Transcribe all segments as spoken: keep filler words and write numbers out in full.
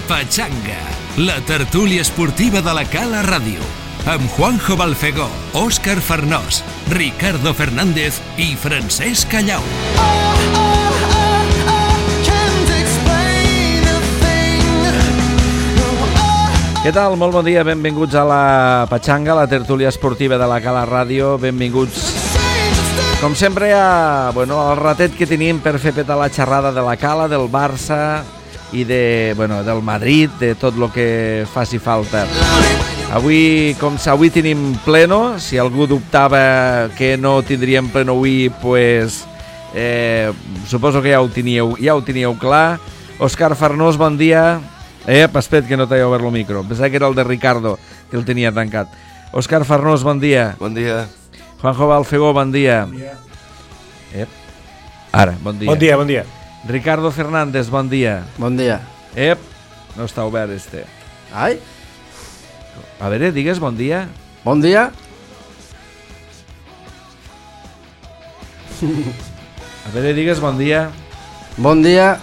Pachanga, la tertúlia esportiva de la Cala Ràdio, amb Juanjo Balfegó, Òscar Farnós, Ricardo Fernández i Francesc Callau. Què tal? Molt bon dia, benvinguts a la Pachanga, la tertúlia esportiva de la Cala Ràdio, benvinguts com sempre a, bueno, al ratet que tenim per fer petar la xerrada de la Cala, del Barça i de, bueno, del Madrid, de tot el que faci falta. Avui, com avui tenim pleno, si algú dubtava que no tindríem pleno avui, pues, eh, suposo que ja ho teníeu, ja ho teníeu clar. Òscar Farnós, bon dia. Eh, espera't que no t'he obert el micro. Pensava que era el de Ricardo, que el tenia tancat. Òscar Farnós, bon dia. Bon dia. Juanjo Balfegó, bon dia. Bon dia. Ep. Ara, bon dia. Bon dia, bon dia. Ricardo Fernández, bon dia. Bon dia. Ep, no està obert este. Ai. A veure, digues bon dia. Bon dia. A veure, digues bon dia. Bon dia.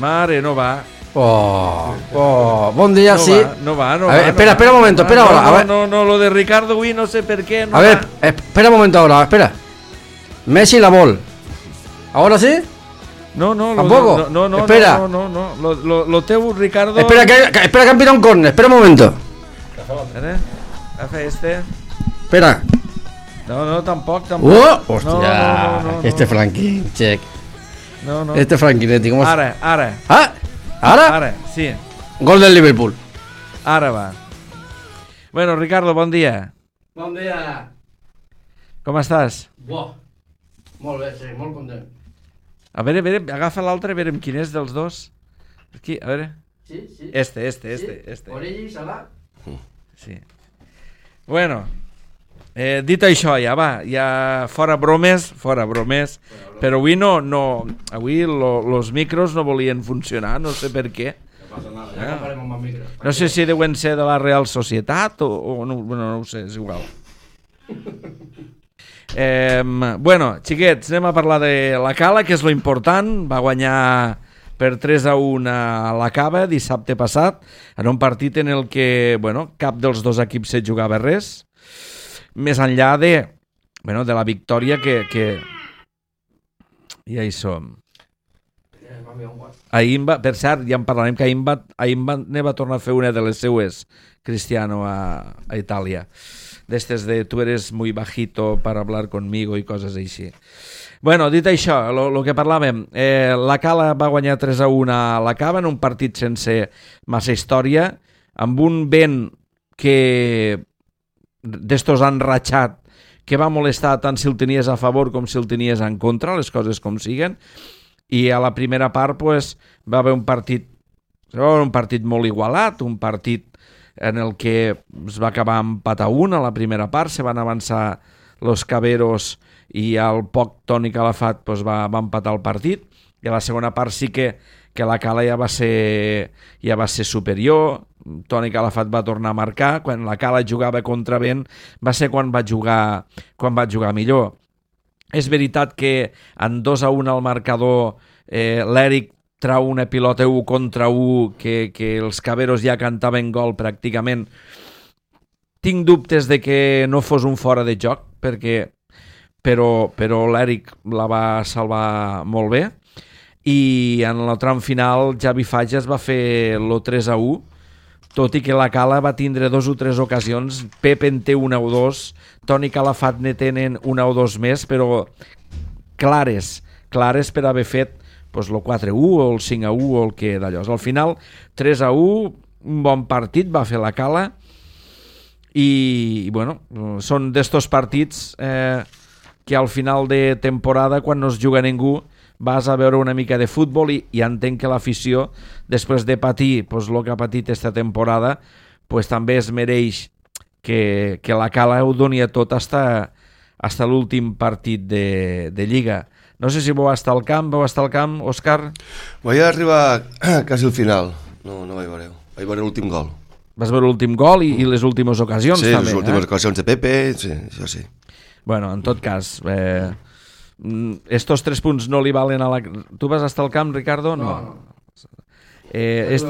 Mare, no va. Oh, oh, bon dia, no sí. Va, no va, no a va. Ver, espera, no espera va, un momento, no espera va, ahora. No, a ver. no, no, lo de Ricardo, güey, no sé por qué. No a va. ver, espera un momento ahora, espera. Messi la bol. ¿Ahora sí? No, no, lo ¿Tampoco? De, no, no, espera. No, no, no, no. Lo, lo, lo teu, Ricardo. Espera, que, que, espera que han pirado un córner, espera un momento. Espera, hace este. Espera. No, no, tampoc, tampoc. ¡Oh! ¡Hostia! No, no, no, no, este no. Franklin, check. No, no. Este Franklin, ¿cómo es? Ara, ara. ¿Ah? ¿Ahora? Ara, sí. Gol del Liverpool. Ara va. Bueno, Ricardo, bon dia. Bon dia. Com estàs? Buah. Molt bé, sí, molt content. A veure, a veure, agafa l'altre, a veure quin és dels dos. Aquí, a veure. Sí, sí. Este, este, este, sí. este. Origi, Salah. Sí. Bueno, eh, dit això, ja va, ja fora bromes, fora bromes, però avui no, no avui lo, los micros no volien funcionar, no sé per què. No passa nada, ja comparem amb el micro. No sé si deuen ser de la Real Societat o, o no, bueno, no ho sé, és igual. Eh, bueno, xiquets, anem a parlar de la Cala, que és lo important. Va guanyar per tres a u a la Cava dissabte passat, en un partit en el que, bueno, cap dels dos equips se jugava res, més enllà de, bueno, de la victòria que, que... ja hi som. Ahir va, per cert, ja en parlarem, que ahir va, ahir va, ne va tornar a fer una de les seues, Cristiano, a, a Itàlia. D'estes de tu eres muy bajito para hablar conmigo i coses així. Bueno, dit això, el que parlàvem, eh, la Cala va guanyar tres a u a la Cava en un partit sense massa història, amb un vent que d'estos han ratxat, que va molestar tant si el tenies a favor com si el tenies en contra, les coses com siguen, i a la primera part pues, va haver un partit, un partit molt igualat, un partit en el que es va acabar empat a un a la primera part, se van avançar los Caberos i al poc Toni Calafat pues, va, va empatar el partit, i a la segona part sí que, que la Cala ja va ser, ja va ser superior. Toni Calafat va tornar a marcar, quan la Cala jugava contra vent va ser quan va jugar, quan va jugar millor. És veritat que en dos a un al marcador eh, l'Eric trau una pilota u contra u que, que els Caberos ja cantaven gol pràcticament. Tinc dubtes de que no fos un fora de joc, perquè, però, però l'Eric la va salvar molt bé, i en el tram final Javi Fages va fer el tres a u, tot i que la Cala va tindre dos o tres ocasions. Pep en té una o dos, Toni Calafat ne tenen una o dos més, però clares, clares per haver fet pues, el quatre a u o el cinc a u o el que d'allò. Al final, tres a u, un bon partit va fer la Cala, i, bueno, són d'estos partits eh, que al final de temporada, quan no es juga ningú, vas a veure una mica de futbol i, i entenc que l'afició, després de patir pues, el que ha patit esta temporada, pues, també es mereix que, que la Cala ho doni a tot hasta, hasta l'últim partit de, de Lliga. No sé si vau estar al camp, vau estar al camp, Òscar? Vaig arribar quasi al final, no, no vaig veure, vaig veure l'últim gol. Vas veure l'últim gol i, i les últimes ocasions, sí, també. Sí, les últimes eh? ocasions de Pepe, sí, això sí. Bueno, en tot cas, eh, estos tres punts no li valen a la... Tu vas estar al camp, Ricardo? No. no. Eh, est,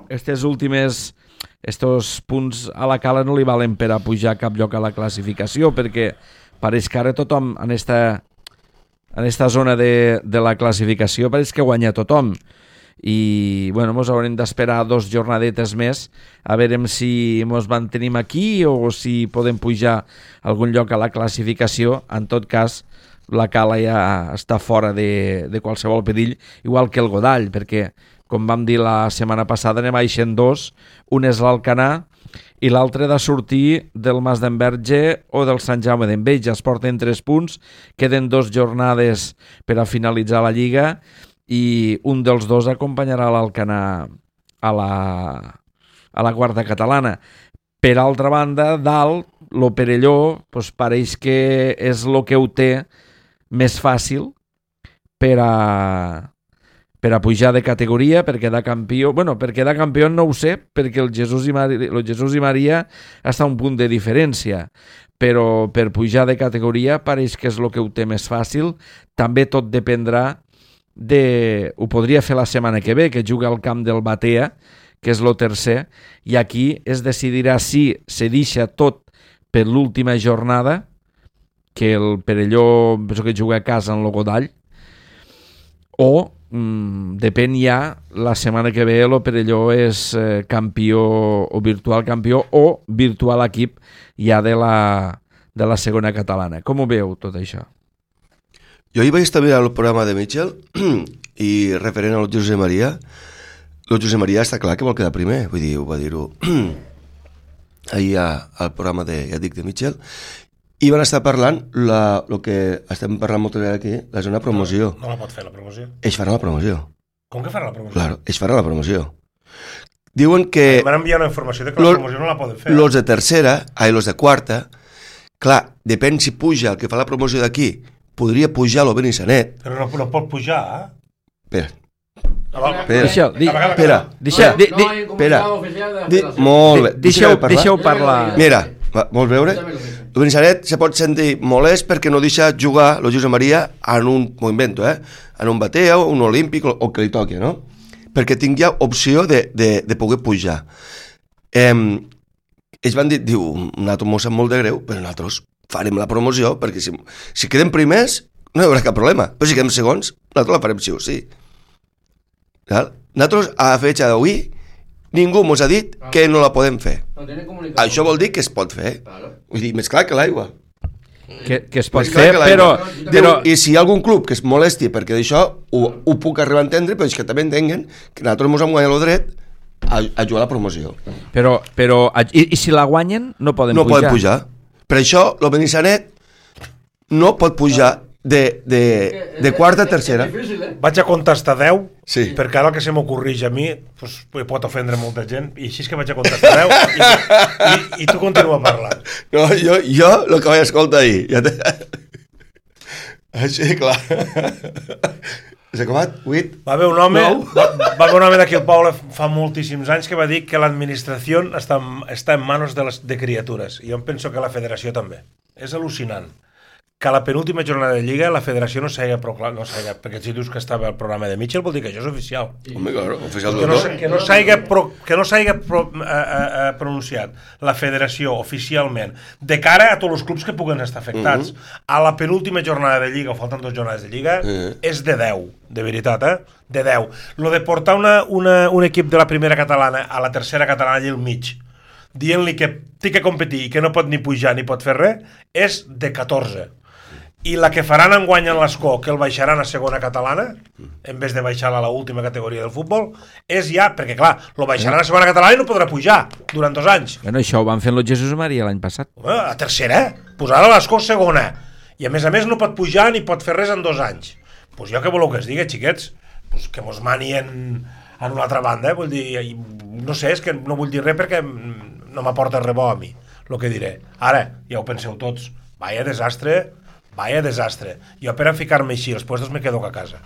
estes últimes... Estos punts a la Cala no li valen per a pujar a cap lloc a la classificació, perquè pareix que ara tothom en esta, en esta zona de, de la classificació pareix que guanya tothom. I bueno, mos haurem d'esperar dos jornadetes més a veure si mos mantenim aquí o si podem pujar a algun lloc a la classificació. En tot cas, la Cala ja està fora de, de qualsevol perill, igual que el Godall, perquè com vam dir la setmana passada, anem baixant dos, un és l'Alcanar i l'altre de sortir del Mas d'Enverge o del Sant Jaume d'Enveja. Es porten tres punts, queden dos jornades per a finalitzar la Lliga i un dels dos acompanyarà l'Alcanar a la, a la quarta catalana. Per altra banda, dalt, lo Perelló, doncs pareix que és el que ho té més fàcil per a... per a pujar de categoria, per quedar campió. Bueno, per quedar campió no ho sé, perquè el Jesús i Maria, el Jesús i Maria està a un punt de diferència, però per pujar de categoria pareix que és el que ho té més fàcil. També tot dependrà de... Ho podria fer la setmana que ve, que juga al camp del Batea, que és el tercer, i aquí es decidirà si se deixa tot per l'última jornada, que el Perelló penso que juga a casa en el Godall, o Mm, depèn ja la setmana que ve el Perelló és eh, campió o virtual campió o virtual equip ja de la, de la segona catalana. Com ho veu tot això? Jo ahir vaig estar mirant el programa de Mitchell i referent al José María, el José María està clar que vol quedar primer, vull dir, ho va dir-ho ahir al programa de, ja dic, de Mitchell, i van estar parlant la, el que estem parlant moltes vegades aquí, la zona promoció. No, no la pot fer la promoció. Ells faran la promoció. Com que faran la promoció? Claro, ells faran la promoció. Diuen que... M'han enviat una informació de que la promoció no la poden fer. Los de tercera, ai, los de quarta, clar, depèn si puja el que fa la promoció d'aquí, podria pujar lo Benissanet. Però no, no pot pujar, eh? Espera. Espera, deixa, di, espera, deixa, di, di, espera, di, molt bé, deixeu, deixeu parlar. Mira, va, vols veure? El Benissanet se pot sentir molest perquè no deixa jugar el Josep Maria en un, m'ho invento, eh? En un Batea o un Olímpic o, o que li toqui, no? Perquè tinguia opció de, de, de poder pujar. Eh, ells van dir, diu, nosaltres m'ho sap molt de greu, però nosaltres farem la promoció perquè si, si quedem primers no hi haurà cap problema, però si quedem segons nosaltres la farem sí o sí. Nosaltres a la fetge d'avui ningú ens ha dit que no la podem fer. Això vol dir que es pot fer. Vull dir, més clar que l'aigua. Que, que es pot fer, però, però... I si hi ha algun club que es molesti perquè d'això ho, ho puc arribar a entendre, però és que també entenguen que nosaltres ens hem guanyat el dret a, a jugar a la promoció. Però, però i, i si la guanyen no poden no pujar? No poden pujar. Per això el Benissanet no pot pujar de, de, de quarta a tercera. Vaig a contestar deu, sí. Perquè ara el que se m'ocorreix a mi pues, pot ofendre molta gent, i així és que vaig a contestar deu i, i, i tu continua parlant. No, jo, jo el que vaig escoltar ahir ja te... així, clar. S'ha acabat? vuit? Va haver un home, va, va haver un home d'aquí al poble fa moltíssims anys que va dir que l'administració està, està en manos de, les, de criatures, i jo em penso que la federació també. És al·lucinant que a la penúltima jornada de Lliga la federació no s'hagi proclamat, no s'hagi, perquè si dius que estava al programa de Mitchell vol dir que això és oficial. Home, claro, oficial que no, que no s'hagi pro, que no s'hagi pro, eh, eh, pronunciat la federació oficialment de cara a tots els clubs que puguen estar afectats. Uh-huh. A la penúltima jornada de Lliga, o falten dues jornades de Lliga, uh-huh. És de deu, de veritat, eh? De deu. Lo de portar una, una, un equip de la primera catalana a la tercera catalana allà al mig, dient-li que té que competir i que no pot ni pujar ni pot fer res, és de catorze. I la que faran enguany en l'Escó, que el baixaran a segona catalana, en vez de baixar a l'última categoria del futbol, és ja, perquè clar, lo baixaran a segona catalana i no podrà pujar durant dos anys. Bueno, això ho van fer el Jesús Maria l'any passat. Home, a tercera, posar a l'Escó segona. I a més a més no pot pujar ni pot fer res en dos anys. Doncs pues jo què voleu que es digui, xiquets? Pues que mos mani en, en una altra banda, eh? Vull dir, no sé, és que no vull dir res perquè no m'aporta res bo a mi, el que diré. Ara, ja ho penseu tots, vaya desastre... Vaya desastre. Jo per a ficar-me així, els puestos me quedo a casa.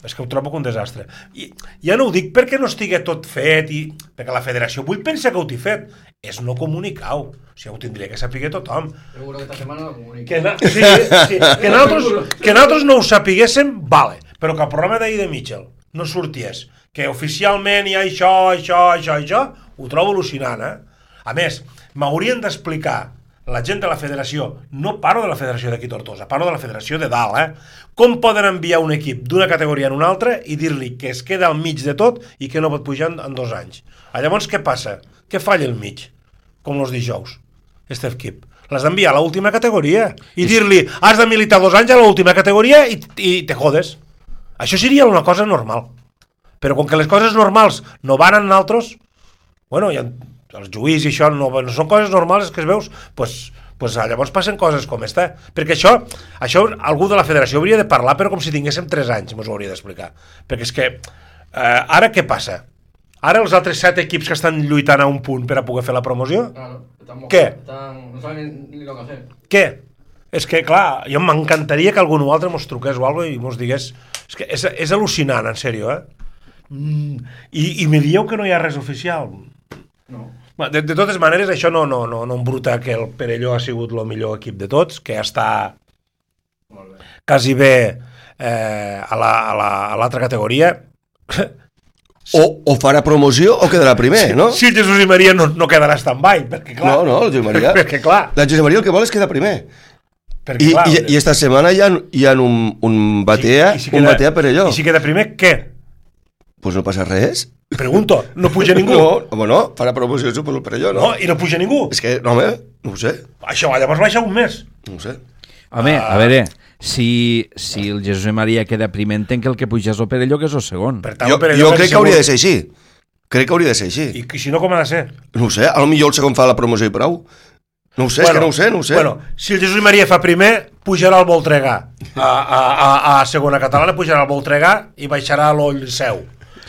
És que ho trobo un desastre. I ja no ho dic perquè no estigui tot fet, i perquè la federació vull pensar que ho t'hi fet. És no comunicar-ho. O sigui, ho tindria que saber tothom. Seguro que esta setmana lo comunica. Que, na... sí, sí. que, nosaltres, que nosaltres no ho sapiguéssim, vale. Però que el programa d'ahir de Mitchell no sorties que oficialment hi ha això, això, això, això, ho trobo al·lucinant, eh? A més, m'haurien d'explicar la gent de la federació, no parlo de la federació d'aquí Tortosa, parlo de la federació de dalt, eh? Com poden enviar un equip d'una categoria en una altra i dir-li que es queda al mig de tot i que no pot pujar en, en dos anys. Ah, llavors, què passa? Què falla al mig? Com els dijous, este equip. L'has d'enviar a l'última categoria i dir-li, has de militar dos anys a l'última categoria i, i te jodes. Això seria una cosa normal. Però com que les coses normals no van en altres, bueno, hi ha els juís i això no, no són coses normals que es veus, pues, pues llavors passen coses com esta. Perquè això, això algú de la federació hauria de parlar, però com si tinguéssim tres anys, mos ho hauria d'explicar. Perquè és que, eh, ara què passa? Ara els altres set equips que estan lluitant a un punt per a poder fer la promoció? Claro, están ¿Qué? Están, no saben ni, ni lo que hacer. Què? És que, clar, jo m'encantaria que algú altre mos truqués o alguna cosa i mos digués... És que és, és al·lucinant, en sèrio, eh? Mm, i, I me dieu que no hi ha res oficial? No. De, de totes maneres, això no, no, no, no embruta que el Perelló ha sigut el millor equip de tots, que està quasi bé eh, a l'altra la, a la, categoria. O, o farà promoció o quedarà primer, si, no? Si el Jesús i Maria no, no quedarà stand-by, perquè clar... No, no, el Jesús Maria... perquè clar... La Jesús Maria el que vol és quedar primer. Perquè, I, clar, i, I esta setmana hi ha, hi ha un, un batea, si, si un queda, batea Perelló. I si queda primer, què? Pues no passa res. Pregunto, no puja ningú? No, home, no, farà promoció suposo el Perelló, no? No, i no puja ningú? És que, no, home, no ho sé. Això, llavors baixa un mes. No ho sé. Home, a veure, si, si el Jesús i Maria queda primer, entenc que el que puja és el Perelló, que és el segon. Per tant, Jo, el Perelló jo crec que segur. hauria de ser així. Crec que hauria de ser així. I, I si no, com ha de ser? No ho sé, a lo millor el segon fa la promoció i prou. No ho sé, bueno, és que no ho sé, no ho sé. Bueno, si el Jesús i Maria fa primer, pujarà al Voltregà. A, a, a, a segona catalana pujarà al Voltregà i baixarà a l'Oll Seu.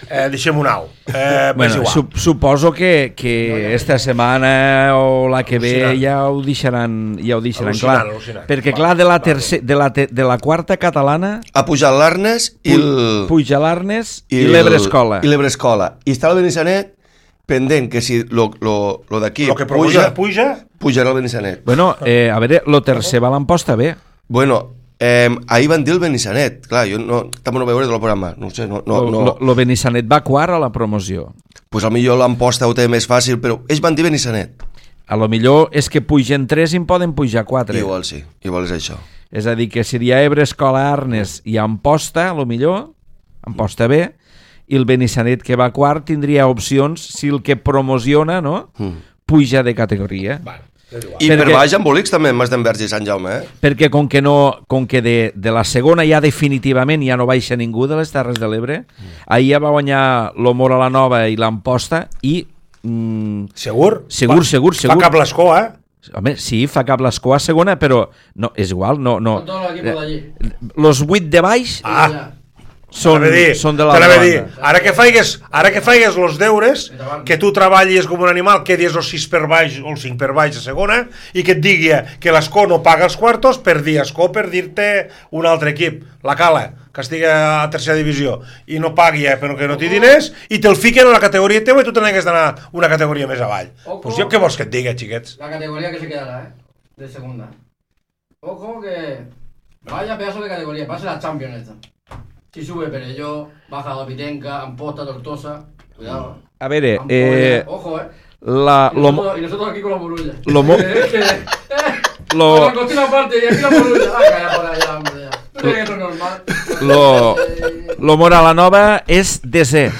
Eh, deixem un au. Eh, Bueno, su suposo que, que esta setmana o la que ve ja ho deixaran, ja ho deixaran Al·lucinant, clar. al·lucinant. Perquè Va, clar, de la, va, tercer, de, la te, de la quarta catalana Ha pujat l'Arnes i el... puja l'Arnes i, el- l'Ebre Escola. I l'Ebre Escola. I està el Benissanet pendent que si lo, lo, lo d'aquí El que puja, puja, pujarà el Benissanet. Bueno, eh, a veure, lo tercer va l'emposta bé. Bueno, eh, ahir van dir el Benissanet. Clar, jo no, també no veure del programa. No ho sé, no... no, Lo, no. lo, lo Benissanet va quart a la promoció. Pues potser l'emposta ho té més fàcil, però ells van dir Benissanet. A lo millor és que pugen tres i en poden pujar quatre. Igual sí, igual és això. És a dir, que seria Ebre, Escola, Arnes i Amposta, a lo millor, Amposta B, i el Benissanet que va quart tindria opcions si el que promociona, no?, Mm. puja de categoria. bueno, I Perquè- per baix embolics també, Mas d'Enverge i Sant Jaume, eh? Perquè com que, no, com que de, de la segona ja definitivament ja no baixa ningú de les Terres de l'Ebre, mm. ahir ja va guanyar l'Omor a la Nova i l'Amposta i... Mm, segur? Segur, Fa- segur, segur. Fa cap l'escó, eh? home, sí, fa cap l'escó a segona, però no, és igual, no... no. Son todos los equipos de allí. Los vuit de baix Ah, Ya. són, T'anava a dir, són de la t'anava a dir, banda. ara que faigues, ara que faigues els deures, que tu treballis com un animal, que dius els sis per baix o els cinc per baix a segona, i que et digui que l'escó no paga els quartos per dir escó, per dir-te un altre equip, la Cala, que estigui a tercera divisió, i no pagui, eh, però que no té diners, i te'l fiquen a la categoria teva i tu te n'hagues d'anar una categoria més avall. Ojo. Pues jo què vols que et digui, xiquets? La categoría que se quedará, ¿eh? De segunda. Ojo que... Vaya pedazo de categoría. Va a ser la Champions esta. Si sube Perelló, baja la Pitenca, Amposta, Tortosa. Cuidado. A veure, Ampolla. eh, Ojo, ¿eh? la, Y lo, nosotros, y nosotros aquí con la Morulla. Lo mo- Lo... lo, La cocina aparte y aquí la Morulla. Ah, calla por allá, hombre. Ya. ¿Tú crees que esto es normal? lo, Eh, lo Mora Nova és desè.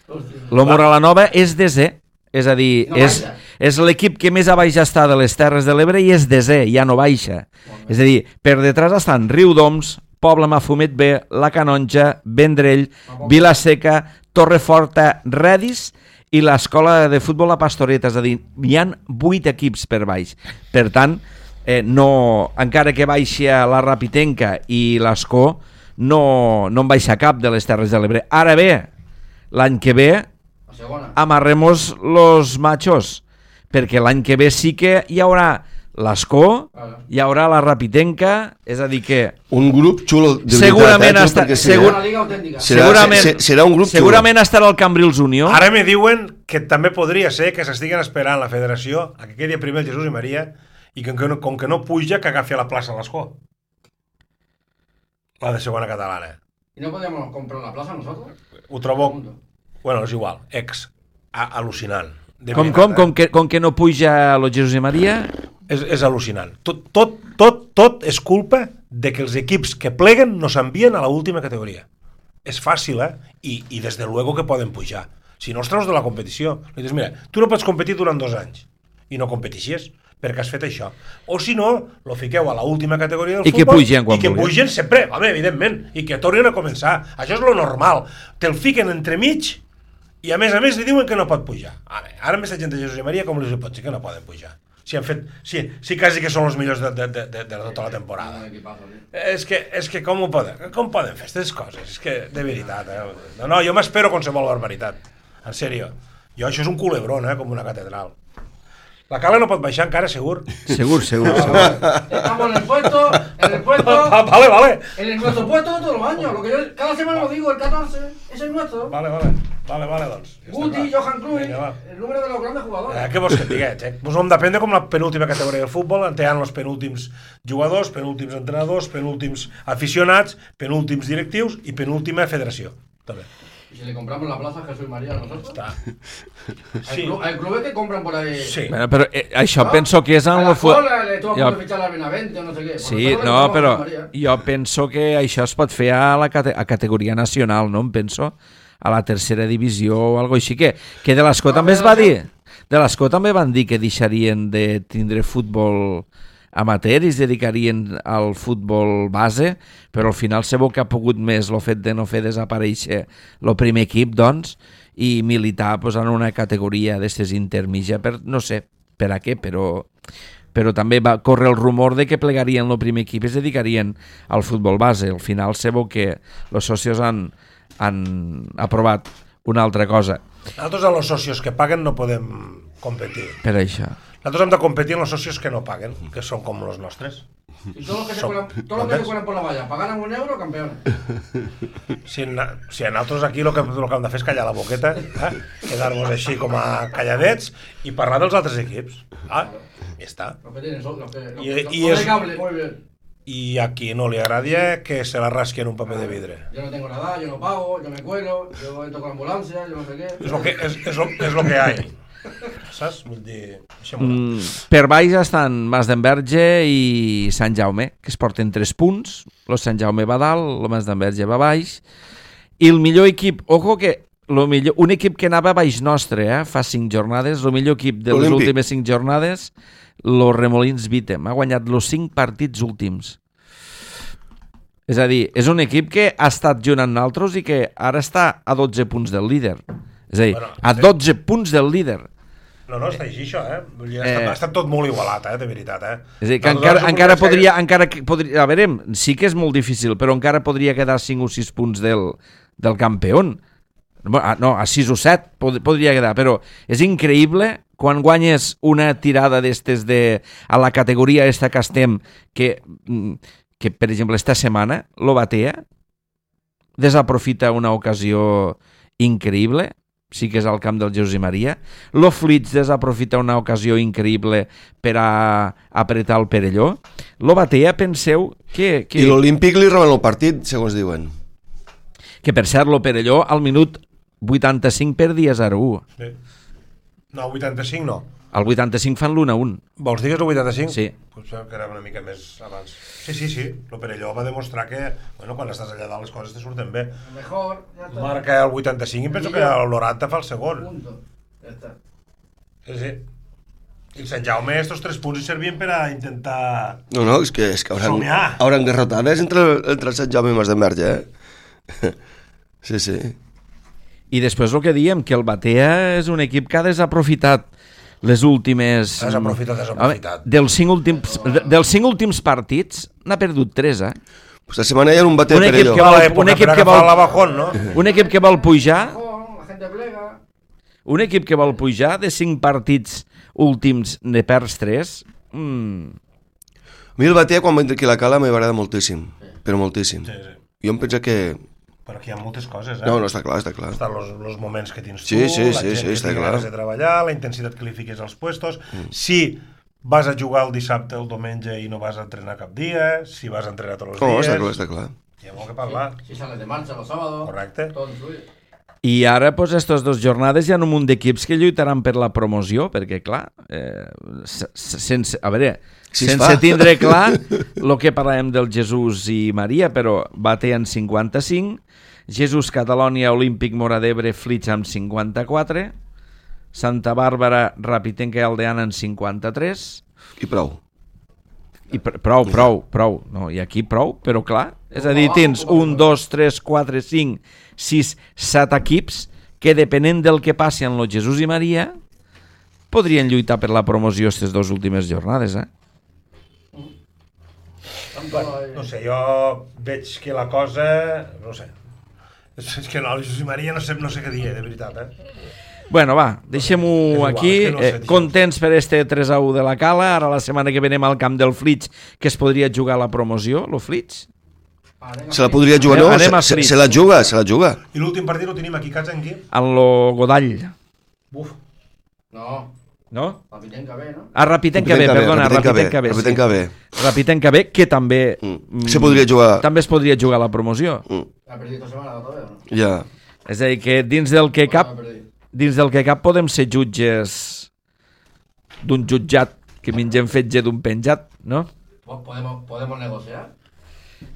hostia. Lo Mora Nova és desè. És a dir, No és, baixa. és l'equip que més a baix està de les Terres de l'Ebre i és desè, ja no baixa. És a dir, per detrás estan Riudoms, Poble Mafumet B, La Canonja, Vendrell, Vilaseca, Torreforta, Redis i l'escola de futbol La Pastoreta. És a dir, hi han vuit equips per baix. Per tant, eh, no, encara que baixi la Rapitenca i l'Escó, no, no en baixa cap de les Terres de l'Ebre. Ara bé, l'any que ve La segona. amarremos los machos, perquè l'any que ve sí que hi haurà l'Escó, hi haurà la Rapitenca, és a dir que Un grup xulo de Segurament veritat, eh, està- perquè sí, segur- eh? Una liga autèntica. Serà, segurament- se- serà un grup xulo. segurament estarà el Cambrils Unió. Ara me diuen que també podria ser que s'estiguen esperant la federació a que quedi primer el Jesús i Maria i que com que no, com que no puja que agafi a la plaça l'escó. La de segona catalana. ¿Y no podíamos comprar la plaza nosotros? Ho trobo... Bueno, és igual. Ex. A al·lucinant. De Com, veritat, com, eh? com, que, com que no puja lo Jesús i Maria? És, és al·lucinant. Tot, tot, tot, tot és culpa de que els equips que pleguen no s'envien a l'última categoria. És fàcil, eh? I, i des de luego que poden pujar. Si no els treus de la competició. Li dius, mira, tu no pots competir durant dos anys i no competixies perquè has fet això. O si no, lo fiqueu a l'última categoria del I que futbol pugen quan i que vulguin. pugen sempre, home, evidentment, i que tornin a començar. Això és lo normal. Te'l fiquen entremig i a més a més li diuen que no pot pujar. Ara, ara amb aquesta gent de Jesús i Maria com li pot dir que no poden pujar? Si han fet, si, si quasi que són els millors de, de, de, de, de tota la temporada. És que, és que com ho poden, com poden fer aquestes coses? És que, de veritat, eh? No, no, jo m'espero qualsevol barbaritat. En sèrio. Jo, això és un culebrón, eh? Com una catedral. La Cala no pot baixar encara, segur? Segur, segur, segur. Estamos en el puesto, en el puesto, Ah, vale, vale. en el nuestro puesto todos los años. Lo que yo cada semana lo digo, el catorce, es el nuestro. Vale, vale. Vale, vale, doncs. Ja està Guti, clar. Johan Cruyff, Vinga, va. el número de los grandes jugadores. Eh, què vols que et diguet, eh? Pues hem d'aprendre com la penúltima categoria del futbol, on hi ha els penúltims jugadors, penúltims entrenadors, penúltims aficionats, penúltims directius i penúltima federació. També. Y si le compramos la plaza a Jesús y María a nosotros. Està. Hay, Sí. clu- hay clubes que compran por ahí. Sí. Bueno, però eh, això ¿no? penso que és en a el... la fu- Cola le estuvo a Jo- punto de fichar a la Benavente o no sé qué. Por Sí, nosotros le no, compramos a però Jesús María. jo penso que això es pot fer a la cate a categoria nacional, no? Em penso a la tercera divisió o algo així, que, que de l'Escó també es va dir, de l'Escó també van dir que deixarien de tindre futbol amateur i es dedicarien al futbol base, però al final se veu que ha pogut més el fet de no fer desaparèixer el primer equip, doncs, i militar pues, en una categoria d'estes intermitja, per, no sé per a què, però però també va córrer el rumor de que plegarien el primer equip i es dedicarien al futbol base. Al final se veu que els socios han, han aprovat una altra cosa Nosaltres amb els socios que paguen no podem competir. per això. Nosaltres hem de competir amb els socios que no paguen, que són com els nostres. Y todos los que se Son- cuelan, todos los que se cuelan por la valla, pagaran un euro, campeones. Si, na, si a nosaltres aquí el que, el que hem de fer és callar la boqueta, eh? Quedar-nos així com a calladets i parlar dels altres equips. Ah, ja està. Los que tienen, son- los que, los Y- que- los- y los de es- cable, muy bien. I a qui no li agradi que se la rasqui en un paper de vidre. Yo no tengo nada, yo no pago, yo me cuelo, yo entro con ambulancia, yo no sé qué. És lo que, és, és lo, és lo que hi ha. Saps? Vull dir... Deixem-ho anar. Mm, per baix estan Mas d'Enverge i Sant Jaume, que es porten tres punts. El Sant Jaume va dalt, el Mas d'Enverge va baix. I el millor equip, ojo que lo millor, un equip que anava baix nostre, eh, fa cinc jornades, el millor equip de les Olímpic. últimes cinc jornades, los Remolins Vitem, ha guanyat els cinc partits últims. És a dir, és un equip que ha estat junt amb nosaltres i que ara està a dotze punts del líder. És a dir, Bueno, a sí. dotze punts del líder. No, no, està així això, eh? Vull dir, ha, Eh. estat, ha estat tot molt igualat, eh? De veritat, eh? És a dir, que Nosaltres encara, som encara una podria, sèrie- encara que podria... A veure, sí que és molt difícil, però encara podria quedar cinc o sis punts del, del campió. No, a sis o set pod podria quedar, però és increïble quan guanyes una tirada d'estes de, a la categoria esta que estem, que, que per exemple, esta setmana, lo Batea desaprofita una ocasió increïble, sí que és al camp del Jesús i Maria. Lo Flits desaprofita una ocasió increïble per a apretar el Perelló. Lo Batea, penseu que... que I l'Olímpic li roben el partit, segons diuen. Que per cert, lo Perelló al minut vuitanta-cinc perdia zero a u. Sí. No, vuitanta-cinc no. Al vuitanta-cinc fan l'u a un. Vols dir que és el vuitanta-cinc? Sí. Potser que era una mica més abans. Sí, sí, sí. El Perelló va demostrar que, bueno, quan estàs allà dalt les coses te surten bé. A lo mejor, ya está. Marca el vuitanta-cinc i penso que el noranta fa el segon. Punto. Ya está. Sí, sí. I el Sant Jaume, estos tres punts hi servien per a intentar... No, no, és que, és que hauran, Somiar. hauran garrotades entre, entre el Sant Jaume i Mas de Merge, eh? Sí, sí. I després el que diem, que el Batea és un equip que ha desaprofitat les últimes... Desaprofitat, desaprofitat. Home, dels cinc últims, de- dels cinc últims partits n'ha perdut tres, eh? Pues la setmana hi ha un bater Un per equip allò. que Va, vol- l'època un equip per que agafar vol- la bajón, no? Un equip que vol pujar, Mejor, la gente plega. un equip que vol pujar de cinc partits últims ne perds tres. Mm. A mi el bater, quan va entrar aquí a la Cala, m'agrada moltíssim, però moltíssim. Sí, sí. Jo em penso que... Però aquí hi ha moltes coses, eh? No, no, està clar, està clar. Estan los, los moments que tens tu, Sí, sí, la sí, gent sí, que està tingui clar. ganes de treballar, la intensitat que li fiques als puestos, mm. si vas a jugar el dissabte o el diumenge i no vas a entrenar cap dia, si vas a entrenar tots els No, dies... està clar, està clar. Hi hi ha molt que parlar. Si sales de marxa los sábados. Correcte. Tot influye. I ara, pues, aquestes dues jornades hi ha un munt d'equips que lluitaran per la promoció, perquè, clar, eh, sense, a veure, Si es sense fa. tindre clar el que parlàvem del Jesús i Maria, però Bate en cinquanta-cinc, Jesús Catalònia Olímpic Mora d'Ebre Flix amb cinquanta-quatre, Santa Bàrbara Rapitenca i Aldeana en cinquanta-tres, I prou. i pr prou, prou, prou, no, i aquí prou, però clar, és a dir, tens un, dos, tres, quatre, cinc, sis, set equips que depenent del que passi en los Jesús i Maria podrien lluitar per la promoció aquestes dues últimes jornades, eh? No sé, jo veig que la cosa... No sé. És és que no, el Jesús i Maria no sé, no sé què dir, de veritat, eh? Bueno, va, deixem-ho igual, aquí. és que no sé, eh, deixem-ho. contents per este tres a u de la Cala. Ara la setmana que venem al camp del Flix, que es podria jugar la promoció, lo Flix. Se la podria jugar, no? Anem a Se, se, Flix. se la juga, se la juga. I l'últim partit el tenim aquí, Cats, en qui? En lo Godall, Uf. No, no? la Pitenca bé, no? A Rapitenca B, perdona, Rapitenca B. Rapitenca B. Rapitenca B, que també... Mm. Se podria jugar. També es podria jugar la promoció. Mm. Ha perdit la setmana otra vez, ¿o no? Ja. És a dir, que dins del que cap... Ha perdit. Dins del que cap podem ser jutges d'un jutjat que mengem fetge d'un penjat, no? Po- Podemos, podemos negociar. Un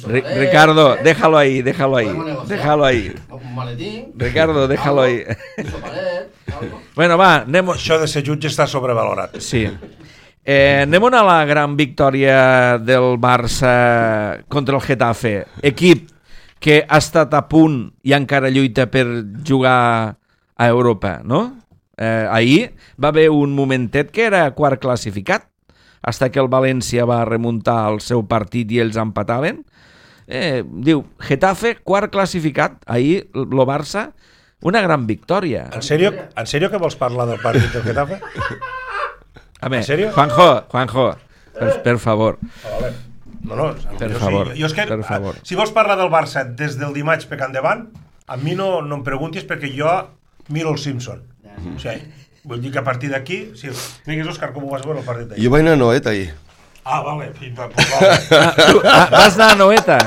Ri- sobaret, Ricardo, ¿eh? déjalo ahí, déjalo ahí, Podemos negociar. déjalo ahí. Un maletín. Ricardo, déjalo ahí. Un sobaret, algo. Bueno, va, anem... Això de ser jutge està sobrevalorat. Sí. Eh, anem a la gran victòria del Barça contra el Getafe. Equip que ha estat a punt i encara lluita per jugar a Europa, no? Eh, ahir va haver un momentet que era quart classificat, fins que el València va remuntar el seu partit i ells empataven. Eh, diu, Getafe, quart classificat. Ahir, el Barça, una gran victòria. En sèrio, en sèrio que vols parlar del partit del Getafe? A veure, ¿En serio? Juanjo, Juanjo, per, per favor. Ah, vale. No, no, Per jo, favor, sí, jo és que, per favor. Si vols parlar del Barça des del dimarts pecant endavant, a mi no, no em preguntis perquè jo miro el Simpson. O sigui, vull dir que a partir d'aquí... Sí. Digues, Òscar, com ho vas veure el partit d'ahir? Jo vaig anar a Noet ahir. Ah, vale. Pues, vale. Ah, tu, ah, vas anar a Noeta?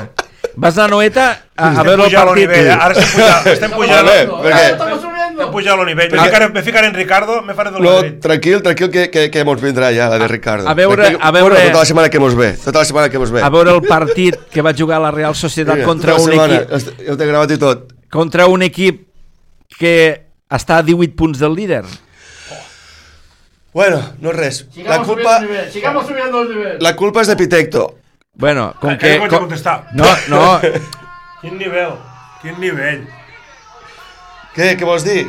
Vas anar a Noeta a, a Estem veure el pujant el partit? nivell, eh? Ara estem pujant, estem pujant, Vale, No, perquè- eh, estamos subiendo. estem pujant el nivell. Me ficaré, me ficaré en Ricardo, me faré del No, Madrid. tranquil, tranquil, que, que, que mos vindrà ja, la de Ricardo. a veure- Tranquil, a veure- Bueno, tota la setmana que mos ve, tota la setmana que mos ve. A veure el partit que va jugar la Real Societat Mira, contra tota la un setmana, equip est- Jo t'he gravat i tot. contra un equip que està a divuit punts del líder. Bueno, no res. La Sigamos culpa, subiendo el nivel. Sigamos subiendo el nivel. la culpa és de Pitecto. Bueno, com Ah, que... que no vaig a com- contestar. No, no, Quin nivell, quin nivell. Què, què vols dir?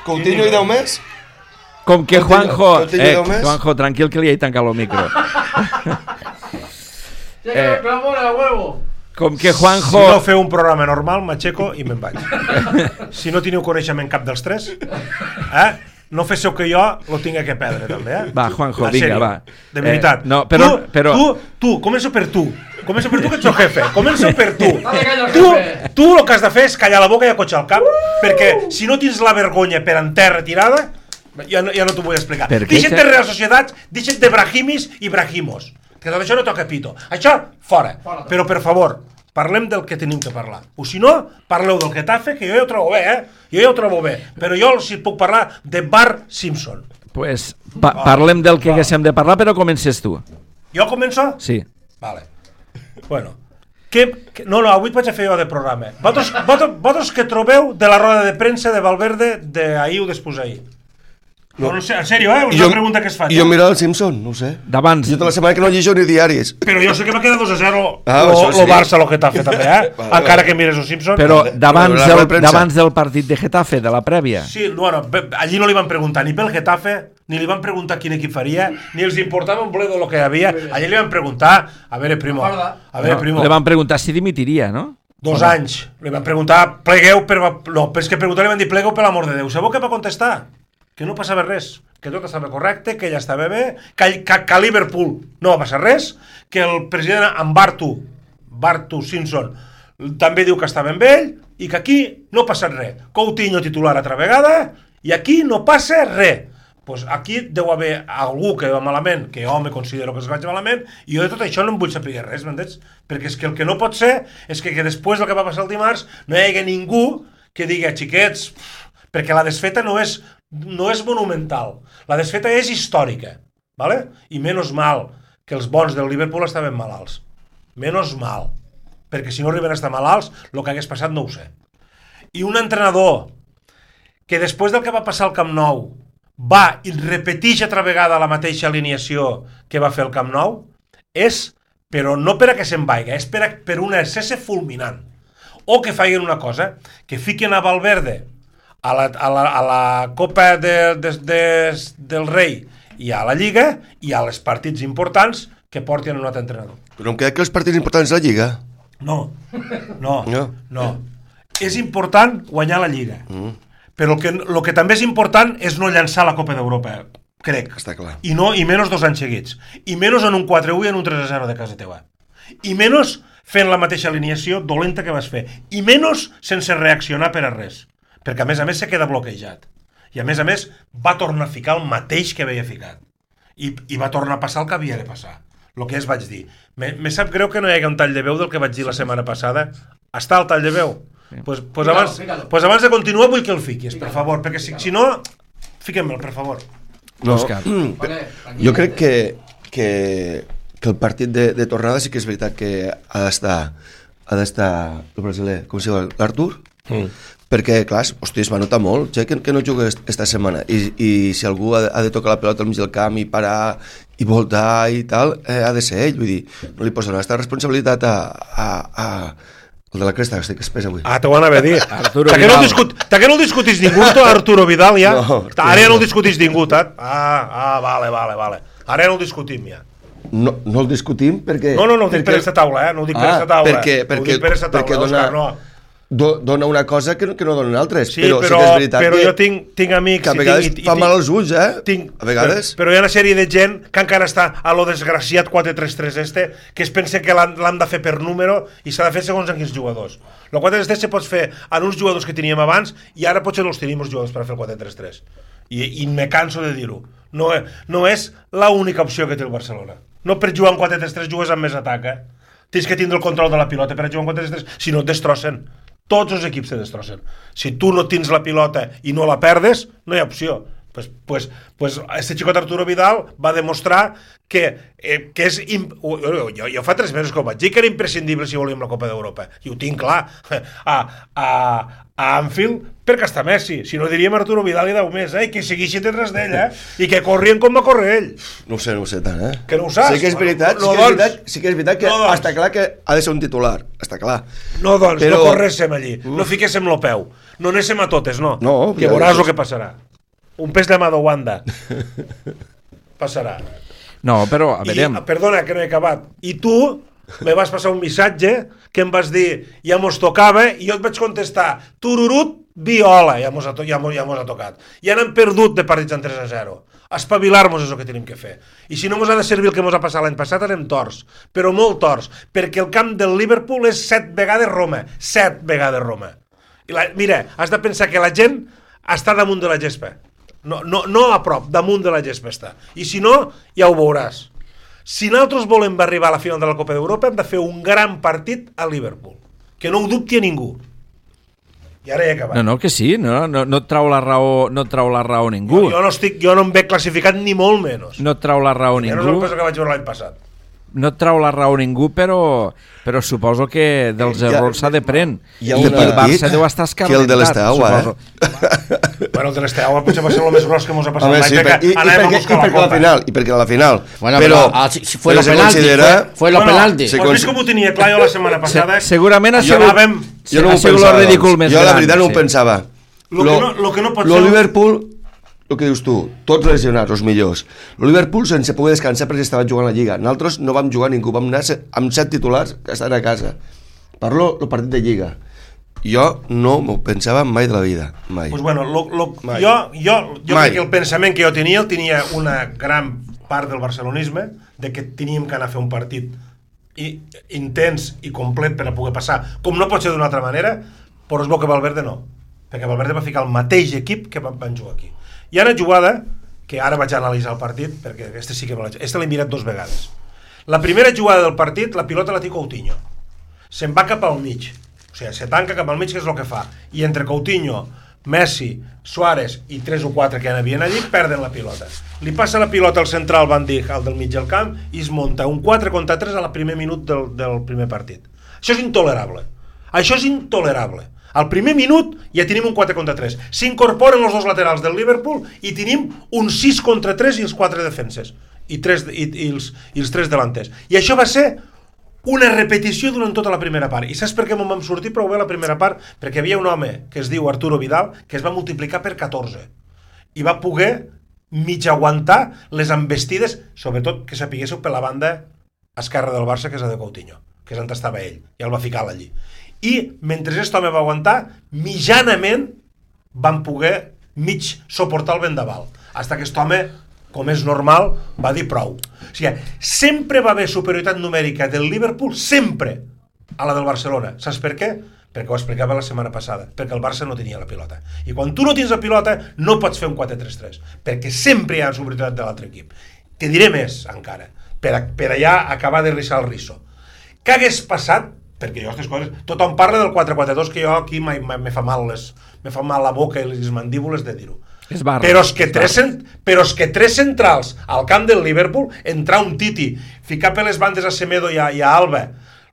Coutinho i deu més? com que Juanjo... Coutinho Eh, deu més? Juanjo, tranquil que li he tancat el micro. Llega Eh. el clamor a huevo. Com que Si Juanjo... no feu un programa normal, m'aixeco i me'n vaig. Si no teniu coneixement cap dels tres, eh? no féssiu que jo lo tinga que perdre, també, eh? Va, Juanjo, En vinga, sèrio, va. De veritat. Eh, no, però- Tu, però- tu, tu, començo per tu. Començo per tu, que ets el jefe. Començo per tu. Dale calla al Tu, jefe. tu el que has de fer és callar la boca i acotxar el cap, perquè si no tens la vergonya per en terra tirada, ja no, ja no t'ho vull explicar. Per què, Deixa't de xe- Real Societats, deixa't de Brahimis i Brahimos. Que tot això no toca pito. Això, fora. Fora. Però, per favor, parlem del que tenim que parlar. O si no, parleu del Getafe, que jo ja ho trobo bé, eh? Jo ja ho trobo bé. Però jo si puc parlar de Bart Simpson. Pues, pa parlem del que haguéssim de parlar, però comences tu. Jo començo? Sí. Vale. Bueno. Que, que, no, no, avui et vaig a fer jo de programa. Vosaltres, vosaltres, vosaltres què trobeu de la roda de premsa de Valverde d'ahir o després ahir? No, no sé, en sèrio, eh? És una pregunta que es fa. I jo mirar el Simpson, no sé. D'abans. Jo tota la setmana que no llegeixo ni diaris. Però jo sé que va quedar dos a zero Ah, lo, això lo sí. Barça, lo Getafe també, eh? Vale, Encara vale. que mires els Simpsons. Però Vale. d'abans Però la del, roda de premsa. d'abans del partit de Getafe, de la prèvia. Sí, bueno, bé, allí no li van preguntar ni pel Getafe, ni li van preguntar quin equip faria, ni els importava un bledo lo que hi havia. Allí li van preguntar, a veure, primo, a veure, No, primo, li van preguntar si dimitiria, no? dos anys. Li van preguntar, plegueu per... No, però és que preguntar li van dir, plegueu per l'amor de Déu. Sabeu què va contestar? Que no passava res, que tot estava correcte, que ella estava bé, que, que, que a Liverpool no va passar res, que el president en Bartu, Bartu Simpson, també diu que estava amb ell, i que aquí no ha passat res. Coutinho titular altra vegada, i aquí no passa res. pues aquí deu haver algú que va malament, que jo me considero que es vaig malament, i jo de tot això no em vull saber res, m'entens? Perquè és que el que no pot ser és que, que després del que va passar el dimarts no hi hagi ningú que digui, xiquets, perquè la desfeta no és, no és monumental, la desfeta és històrica, ¿vale? I menys mal que els bons del Liverpool estaven malalts. Menys mal. Perquè si no arriben a estar malalts, el que hagués passat no ho sé. I un entrenador que després del que va passar al Camp Nou va i repeteix altra vegada la mateixa alineació que va fer el Camp Nou, és, però no per a que se'n vaiga, és per, a, per una excessa fulminant. O que facin una cosa, que fiquen a Valverde a la, a la, a la Copa de, de, de, del Rei i a la Lliga i a les partits importants que portin un altre entrenador. Però em queda que els partits importants de la Lliga... No, no, no. no. És important guanyar la Lliga. Mm. Però el que, el que també és important és no llançar la Copa d'Europa, crec. Està clar. I, no, i menys dos anys seguits. I menys en un quatre a u i en un tres a zero de casa teva. I menys fent la mateixa alineació dolenta que vas fer. I menys sense reaccionar per a res. Perquè a més a més se queda bloquejat. I a més a més va tornar a ficar el mateix que havia ficat. I, i va tornar a passar el que havia de passar. El que es vaig dir. Me, me sap greu que no hi hagi un tall de veu del que vaig dir la setmana passada. Està el tall de veu? Sí. Pues, pues, Fícalo, abans, fícalo. pues abans de continuar vull que el fiquis, Fícalo, per favor, perquè si, si no, fiquem-me'l, per favor. No, Òscar. Vale, jo crec que, que, que el partit de, de tornada sí que és veritat que ha d'estar ha d'estar el brasiler, com es diu, l'Artur? Mm. Perquè, clar, hosti, es va notar molt, ja que, que no juga esta setmana, i, i si algú ha de, ha de tocar la pelota al mig del camp i parar i voltar i tal, eh, ha de ser ell, vull dir, no li posa aquesta responsabilitat a, a, a el de la cresta, que es pesa avui. Ah, t'ho van a dir. Arturo Ta que no Vidal. discut, ta que no el discutís ningú, tu, Arturo Vidal, ja? No, Ara ja no el discutís ningú, ta? Ah, ah, vale, vale, vale. Ara ja no el discutim, ja. No, no el discutim perquè... No, no, no ho dic perquè, per aquesta taula, eh? No ho dic per Ah, aquesta taula. perquè- Ho perquè- dic per aquesta perquè taula, dona- Òscar, no. do, dona una cosa que no, que no donen altres, Sí, però, però, sí que és veritat però que, jo tinc, tinc amics... que a i vegades tinc, i, fa i, mal als ulls, eh? tinc, a vegades... Però, però hi ha una sèrie de gent que encara està a lo desgraciat quatre tres tres este, que es pensa que l'han l'han de fer per número i s'ha de fer segons en quins jugadors. El quatre tres tres se pot fer en uns jugadors que teníem abans i ara potser no els tenim els jugadors per fer el quatre tres tres. I, i me canso de dir-ho. No, no és l'única opció que té el Barcelona. No per jugar en quatre tres tres jugues amb més atac, eh? Tens que tindre el control de la pilota per jugar en quatre tres tres, si no et destrossen. Tots els equips te destrossen. Si tu no tens la pilota i no la perdes, no hi ha opció. Pues, pues, pues este xicot Arturo Vidal va demostrar que, eh, que és... Imp... Jo, jo, jo fa tres mesos que ho vaig dir, que era imprescindible si volíem la Copa d'Europa. I ho tinc clar. A, a, a Anfield, perquè està Messi. Si no diríem Arturo Vidal i deu més, eh? I que segueixi detrás d'ell, eh? I que corrien com va córrer ell. No ho sé, no ho sé tant, eh? Que no ho saps? Sí que és veritat, No, sí, que és doncs. veritat sí que és veritat que No, doncs. està clar que ha de ser un titular, està clar. No, doncs, Però- no corréssim allí. No fiquéssim lo peu. No anéssim a totes, no. No, que ja veuràs dius. el que passarà. Un pes de mà de Wanda. Passarà. No, però, a veure... I, perdona, que no he acabat. I tu me vas passar un missatge que em vas dir ja mos tocava i jo et vaig contestar tururut, viola, ja mos ha, to ja mos, ja mos ha tocat. Ja n'hem perdut de partits en tres a zero. Espavilar-nos és el que tenim que fer. I si no mos ha de servir el que mos ha passat l'any passat, anem torts. Però molt torts. Perquè el camp del Liverpool és set vegades Roma. Set vegades Roma. I la, mira, has de pensar que la gent està damunt de la gespa. No, no, no a prop, damunt de la gespa està. I si no, ja ho veuràs. Si nosaltres volem arribar a la final de la Copa d'Europa, hem de fer un gran partit a Liverpool. Que no ho dubti a ningú. I ara he acabat. No, no, que sí, no, no, no et trau la raó, no et trau la raó ningú. Jo, jo, no estic, jo no em veig classificat ni molt menys. No et trau la raó Ja no és el ningú. que vaig veure l'any passat. No et trau la raó ningú, però, però suposo que dels Hi ha- errors s'ha de pren. hi ha I una- el Barça deu estar que el de l'Esteaua, suposo. eh? Bueno, el de l'Esteaua potser va ser el més gros que mos ha passat Home, l'any, sí, perquè per, i, i, anàvem a perquè, i buscar la perquè a la Copa. final, i perquè a la final. Bueno, però, pero, ah, si, si fue però lo se penalti, considera... fue, fue lo Bueno, penalti. se Pues cons- vist com ho tenia clar jo la setmana passada, Se, segurament ha Jo sigut, anàvem- Jo no ha ho sigut pensava, el ridícul doncs. més Jo gran. la veritat no ho sí. pensava. Lo que no- lo que no pot lo ser- Liverpool, el que dius tu, tots lesionats, els millors. El Liverpool sense poder descansar perquè estava jugant a la Lliga. Nosaltres no vam jugar ningú, vam anar se- amb set titulars que estan a casa. Parlo el partit de Lliga. Jo no m'ho pensava mai de la vida, mai. Pues bueno, lo, lo, Mai. jo, jo, jo Mai. crec que el pensament que jo tenia, el tenia una gran part del barcelonisme, de que teníem que anar a fer un partit i, intens i complet per a poder passar, com no pot ser d'una altra manera, però es veu que Valverde no, perquè Valverde va ficar el mateix equip que van, van jugar aquí. I ara jugada, que ara vaig analitzar el partit, perquè este sí que me l'he... Este l'he mirat dos vegades. La primera jugada del partit, la pilota la té Coutinho. Se'n va cap al mig. O sigui, se tanca cap al mig, que és el que fa. I entre Coutinho, Messi, Suárez i tres o quatre que hi havien allí, perden la pilota. Li passa la pilota al central Van Dijk, al del mig del camp, i es munta un quatre contra tres al primer minut del, del primer partit. Això és intolerable. Això és intolerable. Al primer minut ja tenim un quatre contra tres. S'incorporen els dos laterals del Liverpool i tenim un sis contra tres i els quatre defenses. I, tres, i, i, els, i els tres delanters. I això va ser una repetició durant tota la primera part. I saps per què me'n vam sortir prou bé la primera part? Perquè hi havia un home que es diu Arturo Vidal que es va multiplicar per catorze i va poder mig aguantar les embestides, sobretot que sapiguéssiu per la banda esquerra del Barça, que és la de Coutinho, que és on estava ell, i el va ficar allí. I mentre aquest home va aguantar, mitjanament van poder mig suportar el vendaval, hasta que aquest home, com és normal, va dir prou. O sigui, sempre va haver superioritat numèrica del Liverpool, sempre, a la del Barcelona. Saps per què? Perquè ho explicava la setmana passada, perquè el Barça no tenia la pilota. I quan tu no tens la pilota, no pots fer un quatre tres tres, perquè sempre hi ha superioritat de l'altre equip. Te diré més, encara, per, a, per allà acabar de rissar el risso. Què hagués passat? Perquè jo aquestes coses... Tothom parla del quatre quatre dos, que jo aquí me fa mal les, me fa mal la boca i les mandíbules de dir-ho. Però és que tres, però és que tres centrals al camp del Liverpool, entrar un Titi, ficar per les bandes a Semedo i a, i a Alba,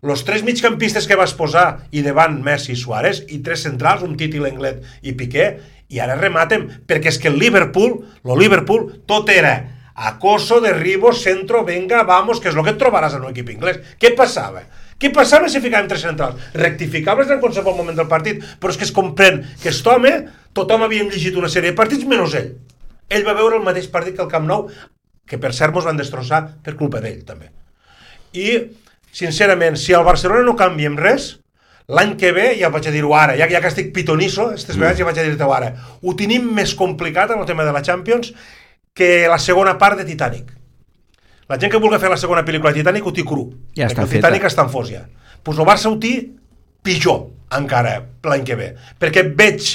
els tres migcampistes que vas posar i davant Messi i Suárez, i tres centrals, un Titi, Lenglet i Piqué, i ara rematem, perquè és que el Liverpool, el Liverpool, tot era acoso, derribo, centro, venga, vamos, que és el que et trobaràs en un equip inglès. Què passava? Què passava si ficàvem tres centrals? Rectificables en qualsevol moment del partit, però és que es comprèn que aquest home, tothom havíem llegit una sèrie de partits menys ell. Ell va veure el mateix partit que el Camp Nou, que per cert mos van destrossar per culpa d'ell, també. I, sincerament, si al Barcelona no canviem res, l'any que ve, ja vaig a dir-ho ara, ja, ja que estic pitonisso, aquestes vegades ja vaig a dir-ho ara, ho tenim més complicat en el tema de la Champions que la segona part de Titanic. La gent que vulgui fer la segona pel·lícula de Titanic ho té cru, ja perquè el Titanic està en fos ja. Pues el Barça ho té pitjor encara l'any que ve, perquè veig,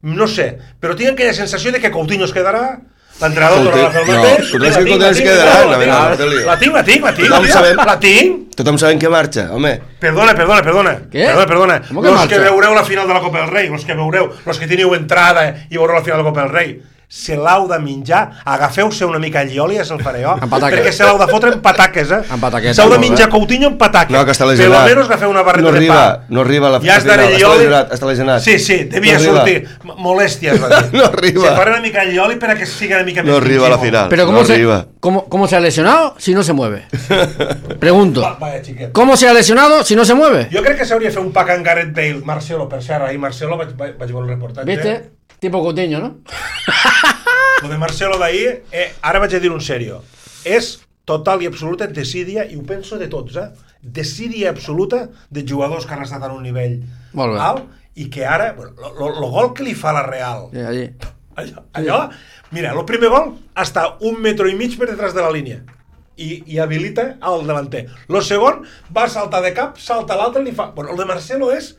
no sé, però tinc aquella sensació de que Coutinho es quedarà, l'entrenador tornarà a fer el mateix. No, tu que es quedarà, la tinc, la tinc, la tinc, la tinc. Tothom sabem que marxa, home. Perdona, perdona, perdona. Què? Perdona, perdona. Com que Los marxa? que veureu la final de la Copa del Rei, los que veureu, los que teniu entrada i veureu la final de la Copa del Rei, se l'heu de menjar, agafeu-se una mica allioli, ja se'l faré jo, perquè se l'heu de fotre en pataques, eh? En pataquetes, s'heu de molt menjar bé. Coutinho en pataques. No, que està per lesionat. lo menos agafeu una barreta no de arriba, pa. no arriba a la ja final, està allioli. lesionat, està lesionat. Sí, sí, devia no sortir. Molèsties, va dir. No arriba. Se farà una mica allioli para que siga una mica No més arriba a la intensivo. final. Pero ¿cómo, no se, arriba. ¿cómo, ¿cómo se ha lesionado si no se mueve? Pregunto. Va, vaya, xiquet. ¿Cómo se ha lesionado si no se mueve? Jo crec que s'hauria de fer un pack en Gareth Bale, Marcelo, per cert, ahir Marcelo vaig, vaig veure el reportatge. ¿Viste? Tipo Coutinho, ¿no? Lo de Marcelo d'ahir, eh, ara vaig a dir un serio, és total i absoluta desídia, i ho penso de tots, eh? Desídia absoluta de jugadors que han estat en un nivell Molt bé. alt, i que ara, bueno, el gol que li fa la Real, Sí, allí. allò, allò, mira, el primer gol està un metro i mig per detrás de la línia, i, i habilita al davanter. El segon va saltar de cap, salta l'altre i li fa... Bueno, el de Marcelo és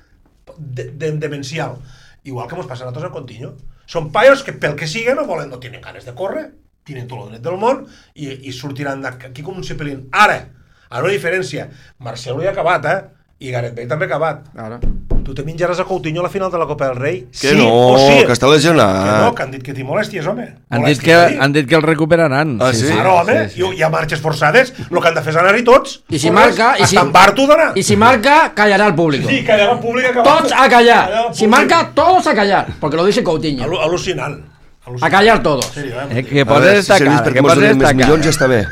de, de, demencial. Igual que mos passa a nosaltres amb Coutinho. Són paios que pel que sigui no volen, no tenen ganes de córrer, tenen tot el dret del món i, i sortiran d'aquí com un cepelín. Ara, a una diferència, Marcelo ja ha acabat, eh? I Gareth Bale també ha acabat. Claro. Tu te menjaràs a Coutinho a la final de la Copa del Rei? Que sí no, o sí? que està lesionat. Que no, que han dit que té molèsties, home. Han dit, que, han dit que el recuperaran. Ah, sí? Claro, home, sí, sí. Hi ha marxes forçades, el que han de fer és anar-hi tots. I si Corres, marca... I si, hasta en Bartu d'anar. y si marca, callará al público. Sí, callarà el públic. Todos a callar. Si marca, todos a callar. Porque lo dice Coutinho. Al A al·lucinant. al·lucinant. callar todos. Sí, eh? Eh, que A posa veure, si esta serveix cara, perquè que mos posa donen esta més milions ja cara. està bé.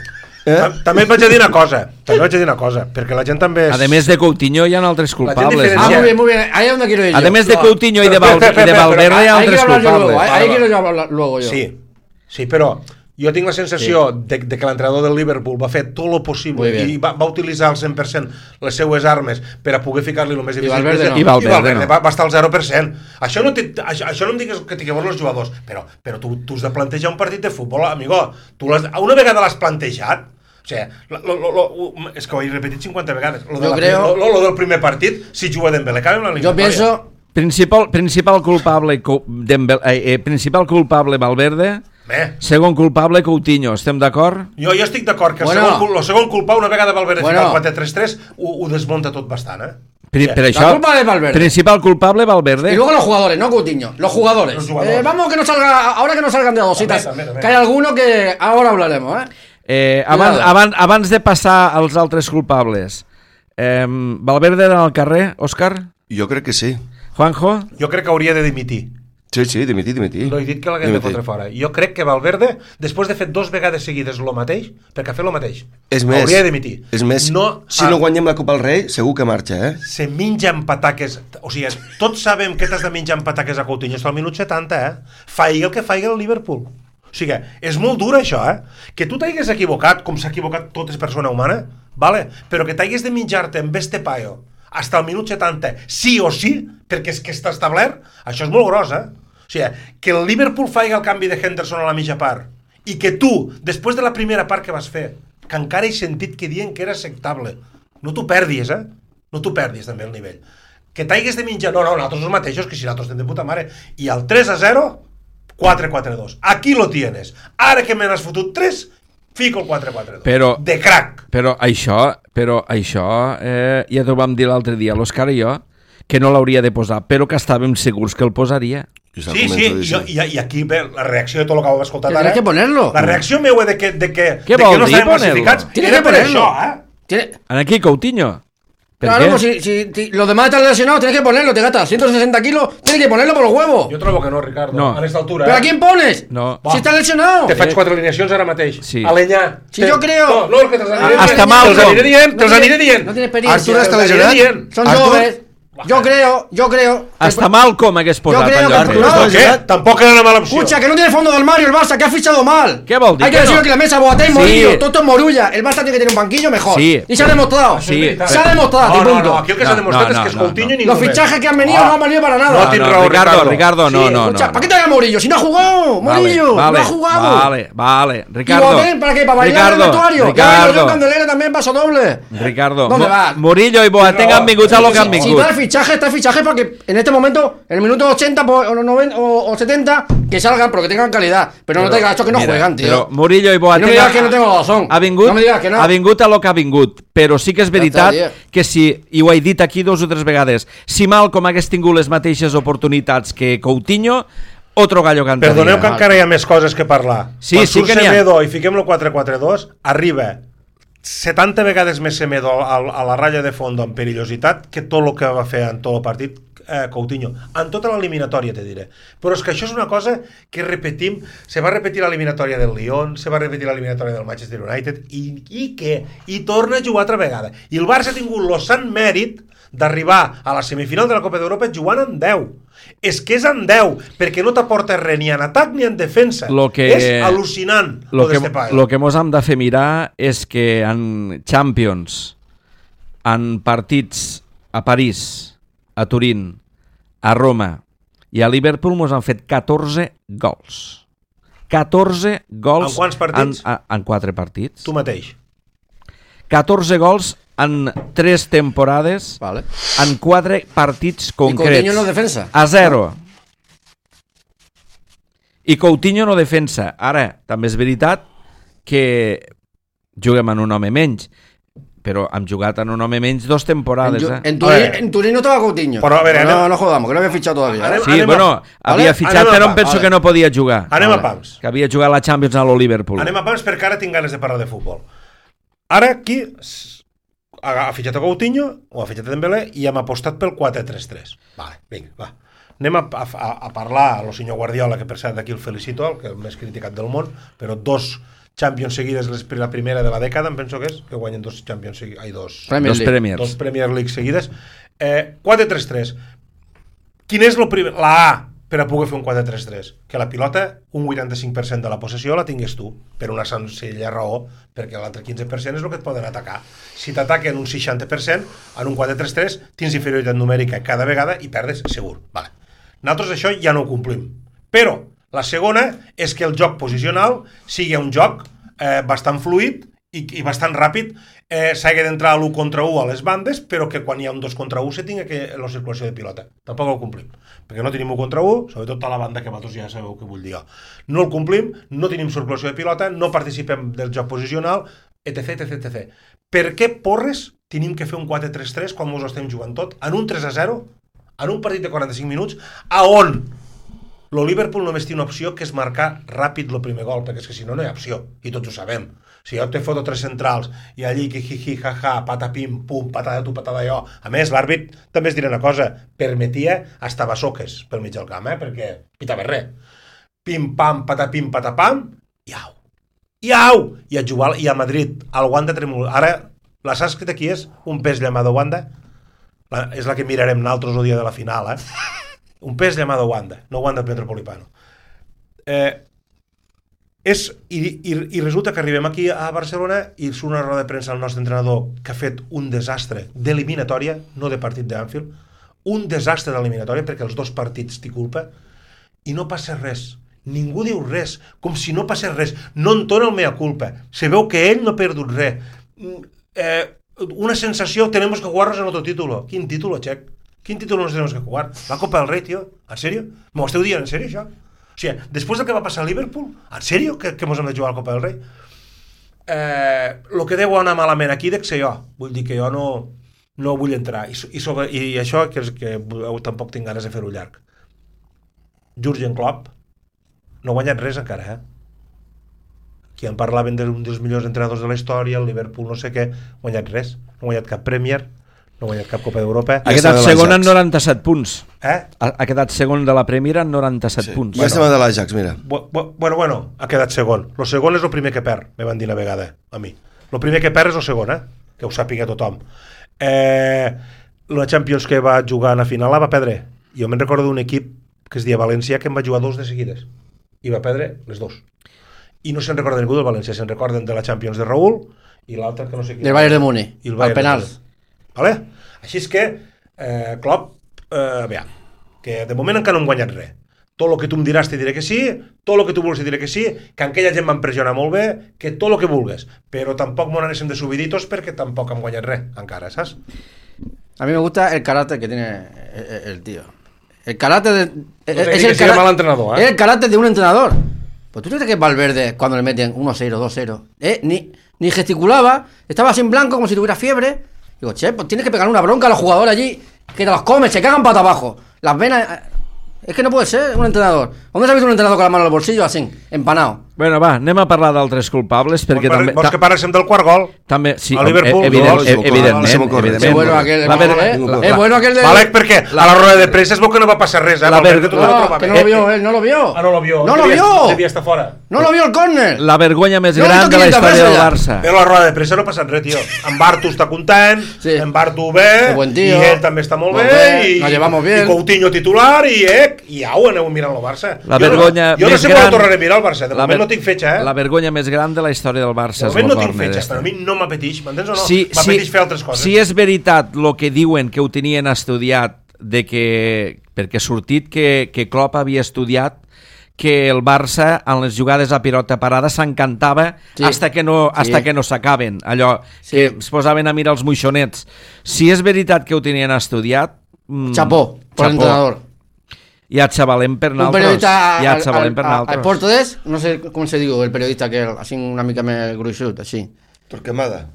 Eh? Ta- També et vaig a dir una cosa, també vaig a dir una cosa, perquè la gent també és... A més de Coutinho hi ha altres culpables. diferencia- Ah, ¿no? muy bien, muy bien. Ahí es donde quiero ir yo. A més de No, Coutinho i de, Val Espera, i de espera, Valverde hi ha ahí altres quiero hablar yo luego. culpables. Ahí, ahí quiero yo hablar luego yo. Sí, sí, però jo tinc la sensació sí. de, de que l'entrenador del Liverpool va fer tot el possible i va, va utilitzar al cent per cent les seues armes per a poder ficar-li el més difícil. Valverde no. I Valverde, I Valverde no. va, va estar al zero per cent. Això no, té, això, això no em digues que t'hi veure els jugadors, però, però tu, tu has de plantejar un partit de futbol, amigo. Tu l'has, una vegada l'has plantejat, o sigui, lo, lo, lo, lo, és que ho he repetit cinquanta vegades. Lo, de Jo la, creo- lo, lo, lo del primer partit, si juga Dembélé, cabe en la Yo eliminatòria. pienso... Principal, principal culpable Dembélé, eh, eh, principal culpable Valverde Eh. Segon culpable, Coutinho. Estem d'acord? Jo, jo estic d'acord que el, Bueno. segon, el segon culpable, una vegada Valverde Bueno. fica el quatre tres tres, ho, ho desmunta tot bastant, eh? Per, per La això, culpa de Valverde. principal culpable, Valverde. Y luego los jugadores, no Coutinho, los jugadores. Los jugadores. Eh, vamos que no salga, ahora que no salgan de a dositas, También, también, que hay alguno que ahora hablaremos, ¿eh? Eh, abans, Cuidado. abans, abans de passar als altres culpables, eh, Valverde era al carrer, Òscar? Jo crec que sí. Juanjo? Jo crec que hauria de dimitir. Sí, sí, dimitir, dimitir. No he dit que l'haguem de fotre fora. Jo crec que Valverde, després de fer dos vegades seguides el mateix, perquè ha fet el mateix, És més, hauria de dimitir. és més, no, si no guanyem la Copa del Rei, segur que marxa, eh? Se menja amb pataques. O sigui, tots sabem que t'has de menjar amb pataques a Coutinho fins al minut setanta, eh? Faigui el que faigui el Liverpool. O sigui, és molt dur això, eh? Que tu t'hagués equivocat, com s'ha equivocat tota persona humana, vale? Però que t'hagués de menjar-te amb este paio fins al minut setanta, sí o sí, perquè és que està establert, això és molt gros, eh? O sigui, que el Liverpool faci el canvi de Henderson a la mitja part i que tu, després de la primera part que vas fer, que encara he sentit que diuen que era acceptable, no t'ho perdis, eh? No t'ho perdis també el nivell. Que t'hagués de menjar, no, no, nosaltres els mateixos, que si nosaltres estem de puta mare. I el tres a zero, quatre quatre dos. Aquí lo tienes. Ara que me n'has fotut tres, fico el quatre quatre dos. Però- De crack. Però això, però això eh, ja t'ho vam dir l'altre dia, l'Òscar i jo, que no l'hauria de posar, però que estàvem segurs que el posaria. Jo estava Sí, sí, convençut i, d'això. i, i aquí ve la reacció de tot el que heu escoltat Tienes ara. que ponerlo. La reacció meua de que, de que, Què de vol que no dir estàvem ponerlo? classificats Tienes era que per ponerlo. això, eh? Tiene- En aquí, Coutinho. Per Claro, què? pues si, si, si los demás están lesionados, tienes que ponerlo, te gastas ciento sesenta kilos, tienes que ponerlo por los huevos. Jo trobo que no, Ricardo, No. a aquesta altura. ¿Pero eh? a quién pones? No. Si está lesionado. Te faig quatre alineacions ara mateix. Sí. Alenyà. Si jo creo- No, no, que te'ls aniré Hasta dient. Malcom. Te'ls aniré dient, No te'ls tiene- aniré dient. no tiene experiencia. Artur està Te'ls aniré lesionat? dient. Son Artur? jóvenes. Yo creo, yo creo. Hasta Malcom hagués posat creo en que lloc Artur de- no. Què? Tampoc era una mala opció. Escucha, que no tiene fondo del Mario el Barça, que ha fichado mal. ¿Qué vol dir? Hay que Que decirlo no? que la mesa Boateng, Sí. Morillo, todo esto es Morulla. El Barça tiene que tener un banquillo mejor. Sí. Y se ha demostrado. Sí. Se ha demostrado, No, y no, punto. no, aquí el que No, s'ha demostrat no, és que és no, Coutinho no. i ningú Los més. fichajes que han venido Ah. no han valido para nada. No, tienes no, raó, Ricardo, Ricardo. Ricardo, no, Sí, no, escucha, no. ¿para qué te haga Morillo? Si no ha jugado, Morillo, vale, no ha jugado. Vale, vale. ¿Y Ricardo. Boateng para qué? ¿Para bailar en el Ricardo, vestuario? Ya Ricardo. yo Candelera también paso doble. Ricardo. ¿Dónde Mo- vas? Murillo i Boateng No, han vingut a lo que han Si vingut. está el fichaje, está el fichaje porque en este momento, en el minuto ochenta po- o, noventa, o, o setenta, que salgan, pero que tengan calidad. Pero, no te digas esto que no Mira, juegan, tío. Però Murillo i Boateng No me digas que no tengo razón. ha vingut, No me digas que no. ha vingut a lo que ha vingut, però sí que és veritat Ja està, que si, i ho he dit aquí dos o tres vegades, si Malcom hagués tingut les mateixes oportunitats que Coutinho, otro gallo cantaria. Perdoneu que encara hi ha més coses que parlar. Sí, Quan sí surt que n'hi ha. Semedo i fiquem el quatre quatre dos, arriba setanta vegades més Semedo a, a la ratlla de fondo amb perillositat que tot el que va fer en tot el partit eh, Coutinho, en tota l'eliminatòria te diré, però és que això és una cosa que repetim, se va repetir l'eliminatòria del Lyon, se va repetir l'eliminatòria del Manchester United i, i què? I torna a jugar altra vegada, i el Barça ha tingut el sant mèrit d'arribar a la semifinal de la Copa d'Europa jugant amb deu. És que és amb deu, perquè no t'aporta res ni en atac ni en defensa. Lo que- és al·lucinant Lo lo que, d'este paio. lo que mos hem de fer mirar és que en Champions, en partits a París, a Turín, a Roma i a Liverpool mos han fet catorze gols. catorze gols En quants partits? En, en quatre partits. Tu mateix. catorze gols en tres temporades, Vale. en quatre partits Y concrets. Coutinho no defensa. A zero. I Coutinho no defensa. Ara, també és veritat que juguem en un home menys, però hem jugat en un home menys dos En, temporades. Ju- Eh? en, A Turín, ver. en Turín no estaba Coutinho. Pero, a ver, no, anem- no jodamos, que no había fichado todavía. ¿eh? Anem- Sí, anem bueno, a- havia Vale, fitxat, anem a però em pa- penso vale. que no podia jugar. Anem Vale. a pams. Que havia jugat a la Champions a lo Liverpool. Anem a pams perquè ara tinc ganes de parlar de futbol. Ara aquí s- ha, ha fitxat a Coutinho, o ha fitxat a Dembélé, i hem apostat pel quatre tres tres. Vale, vinga, va. Anem a, a, a parlar a lo senyor Guardiola, que per cert d'aquí el felicito, el que el més criticat del món, però dos Champions seguides, les- la primera de la dècada, em penso que és, que guanyen dos Champions seguides, ai, dos, Premier Dos League. Premiers. dos Premier League seguides. Eh, quatre tres tres. Quin és lo primer? La A per a poder fer un quatre tres tres. Que la pilota, un vuitanta-cinc per cent de la possessió la tingués tu, per una senzilla raó, perquè l'altre quinze per cent és el que et poden atacar. Si t'ataquen un seixanta per cent, en un quatre tres tres tens inferioritat numèrica cada vegada i perdes segur. Vale. Nosaltres això ja no ho complim. Però la segona és que el joc posicional sigui un joc eh, bastant fluid i, i bastant ràpid, eh, s'hagi d'entrar a l'u contra u a les bandes, però que quan hi ha un dos contra u se tingui que la circulació de pilota. Tampoc el complim, perquè no tenim u contra u, sobretot a la banda que vosaltres ja sabeu què vull dir jo. No el complim, no tenim circulació de pilota, no participem del joc posicional, etc, etc, etc. Per què porres tenim que fer un quatre tres tres quan mos ho estem jugant tot, en un tres a zero, en un partit de quaranta-cinc minuts, a on el Liverpool només té una opció, que és marcar ràpid el primer gol, perquè és que si no, no hi ha opció, i tots ho sabem. Si jo te foto tres centrals, i allí, que hi, hi, ha, ha, patapim, pum, patada tu, patada jo. A més, l'àrbit també es dirà una cosa, permetia hasta basoques pel mig del camp, eh? Perquè pitava res. Pim, pam, patapim, patapam, iau. Iau! I a jugar, i a Madrid, al Wanda tremol. Ara, la sànscrita qui és? Un pes llamado Wanda? La, és la que mirarem nosaltres el dia de la final, eh? Un pes llamado Wanda, no Wanda Metropolitano. Eh, és, i, i, i resulta que arribem aquí a Barcelona i surt una roda de premsa al nostre entrenador que ha fet un desastre d'eliminatòria, no de partit d'Anfield, un desastre d'eliminatòria perquè els dos partits té culpa i no passa res. Ningú diu res, com si no passés res. No entona el mea culpa. Se veu que ell no ha perdut res. Eh, una sensació, tenemos que jugarnos en otro título. Quin título, Check? Quin título nos tenemos que jugar? La Copa del Rei, tio? En sèrio? M'ho esteu dient en sèrio, això? O sigui, després del que va passar a Liverpool, en sèrio que, que mos hem de jugar a la Copa del Rei? Eh, lo que deu anar malament aquí dec ser jo. Vull dir que jo no, no vull entrar. I, i, sobre, i això que, és que tampoc tinc ganes de fer-ho llarg. Jürgen Klopp no ha guanyat res encara, eh? Qui en parlaven d'un dels millors entrenadors de la història, el Liverpool no sé què, no ha guanyat res. No ha guanyat cap Premier, no ha guanyat cap Copa d'Europa. Ha quedat segon en noranta-set punts. Eh? Ha, ha quedat segon de la Premier en noranta-set sí. punts. Ja estem de l'Ajax, mira. Bueno, bueno, ha quedat segon. Lo segon és el primer que perd, me van dir una vegada a mi. El primer que perd és el segon, eh? Que ho sàpiga tothom. Eh, la Champions que va jugar a la final la va perdre. Jo me'n recordo d'un equip que es deia València que en va jugar dos de seguides. I va perdre les dos. I no se'n recorda ningú del València, se'n recorden de la Champions de Raúl i l'altre que no sé qui. Del Bayern de Múnich, al penal. Vale? Així és que eh, Klopp, eh, bé, que de moment encara no hem guanyat res. Tot el que tu em diràs te diré que sí, tot el que tu vulguis te diré que sí, que aquella gent m'empressiona molt bé, que tot el que vulgues, però tampoc m'ho anéssim de subiditos perquè tampoc hem guanyat res encara, saps? A mí me gusta el carácter que tiene el, el tío. El carácter de, no es, el cara, mal entrenador, ¿eh? es el carácter de un entrenador. Pues tú crees que Valverde, cuando le meten uno cero, dos cero, ¿eh? ni, ni gesticulaba, estaba así en blanco como si tuviera fiebre. Digo, che, pues tienes que pegar una bronca a los jugadores allí, que te los comes, se cagan pata abajo. Las venas... Es que no puede ser un entrenador. ¿Dónde has visto un entrenador con la mano en el bolsillo así, empanado? Bueno, va, anem a parlar d'altres culpables perquè vols, també... Vols que parlem del quart gol? També, sí, a Liverpool, evident, dos, evidentment, evidentment. Es bueno aquel, la ver, ¿eh? la, es bueno aquel de... Vale, perquè la, a la rueda de premsa es veu que no va passar res, eh? La ver, que, la, no, que no lo vio, él no lo vio. Ah, no lo vio. No lo vio. Devia estar fora. No lo vio el córner. La vergonya més no gran de la història del Barça. Però a la rueda de premsa no ha passat res, tio. En Bartu està content, sí. En Bartu bé, i ell també està molt bé, i, i Coutinho titular, i eh, i au, aneu mirant el Barça. La vergonya jo no, jo no sé quan tornaré a mirar el Barça, de moment ver, no tinc fetxa, eh? La vergonya més gran de la història del Barça. De moment no tinc fetxa, però a mi no m'apeteix, m'entens o no? Sí, m'apeteix sí, fer altres coses. Si és veritat el que diuen que ho tenien estudiat, de que, perquè ha sortit que, que Klopp havia estudiat que el Barça en les jugades a pilota parada s'encantava sí. hasta que no, hasta sí. que no s'acaben, allò sí. que es posaven a mirar els moixonets. Si és veritat que ho tenien estudiat, chapó, por el entrenador. Ja et xavalem per naltros. Un periodista ja et xavalem per naltros. al portugués, no sé com se diu el periodista que así una mica més gruixut, així. Torquemada.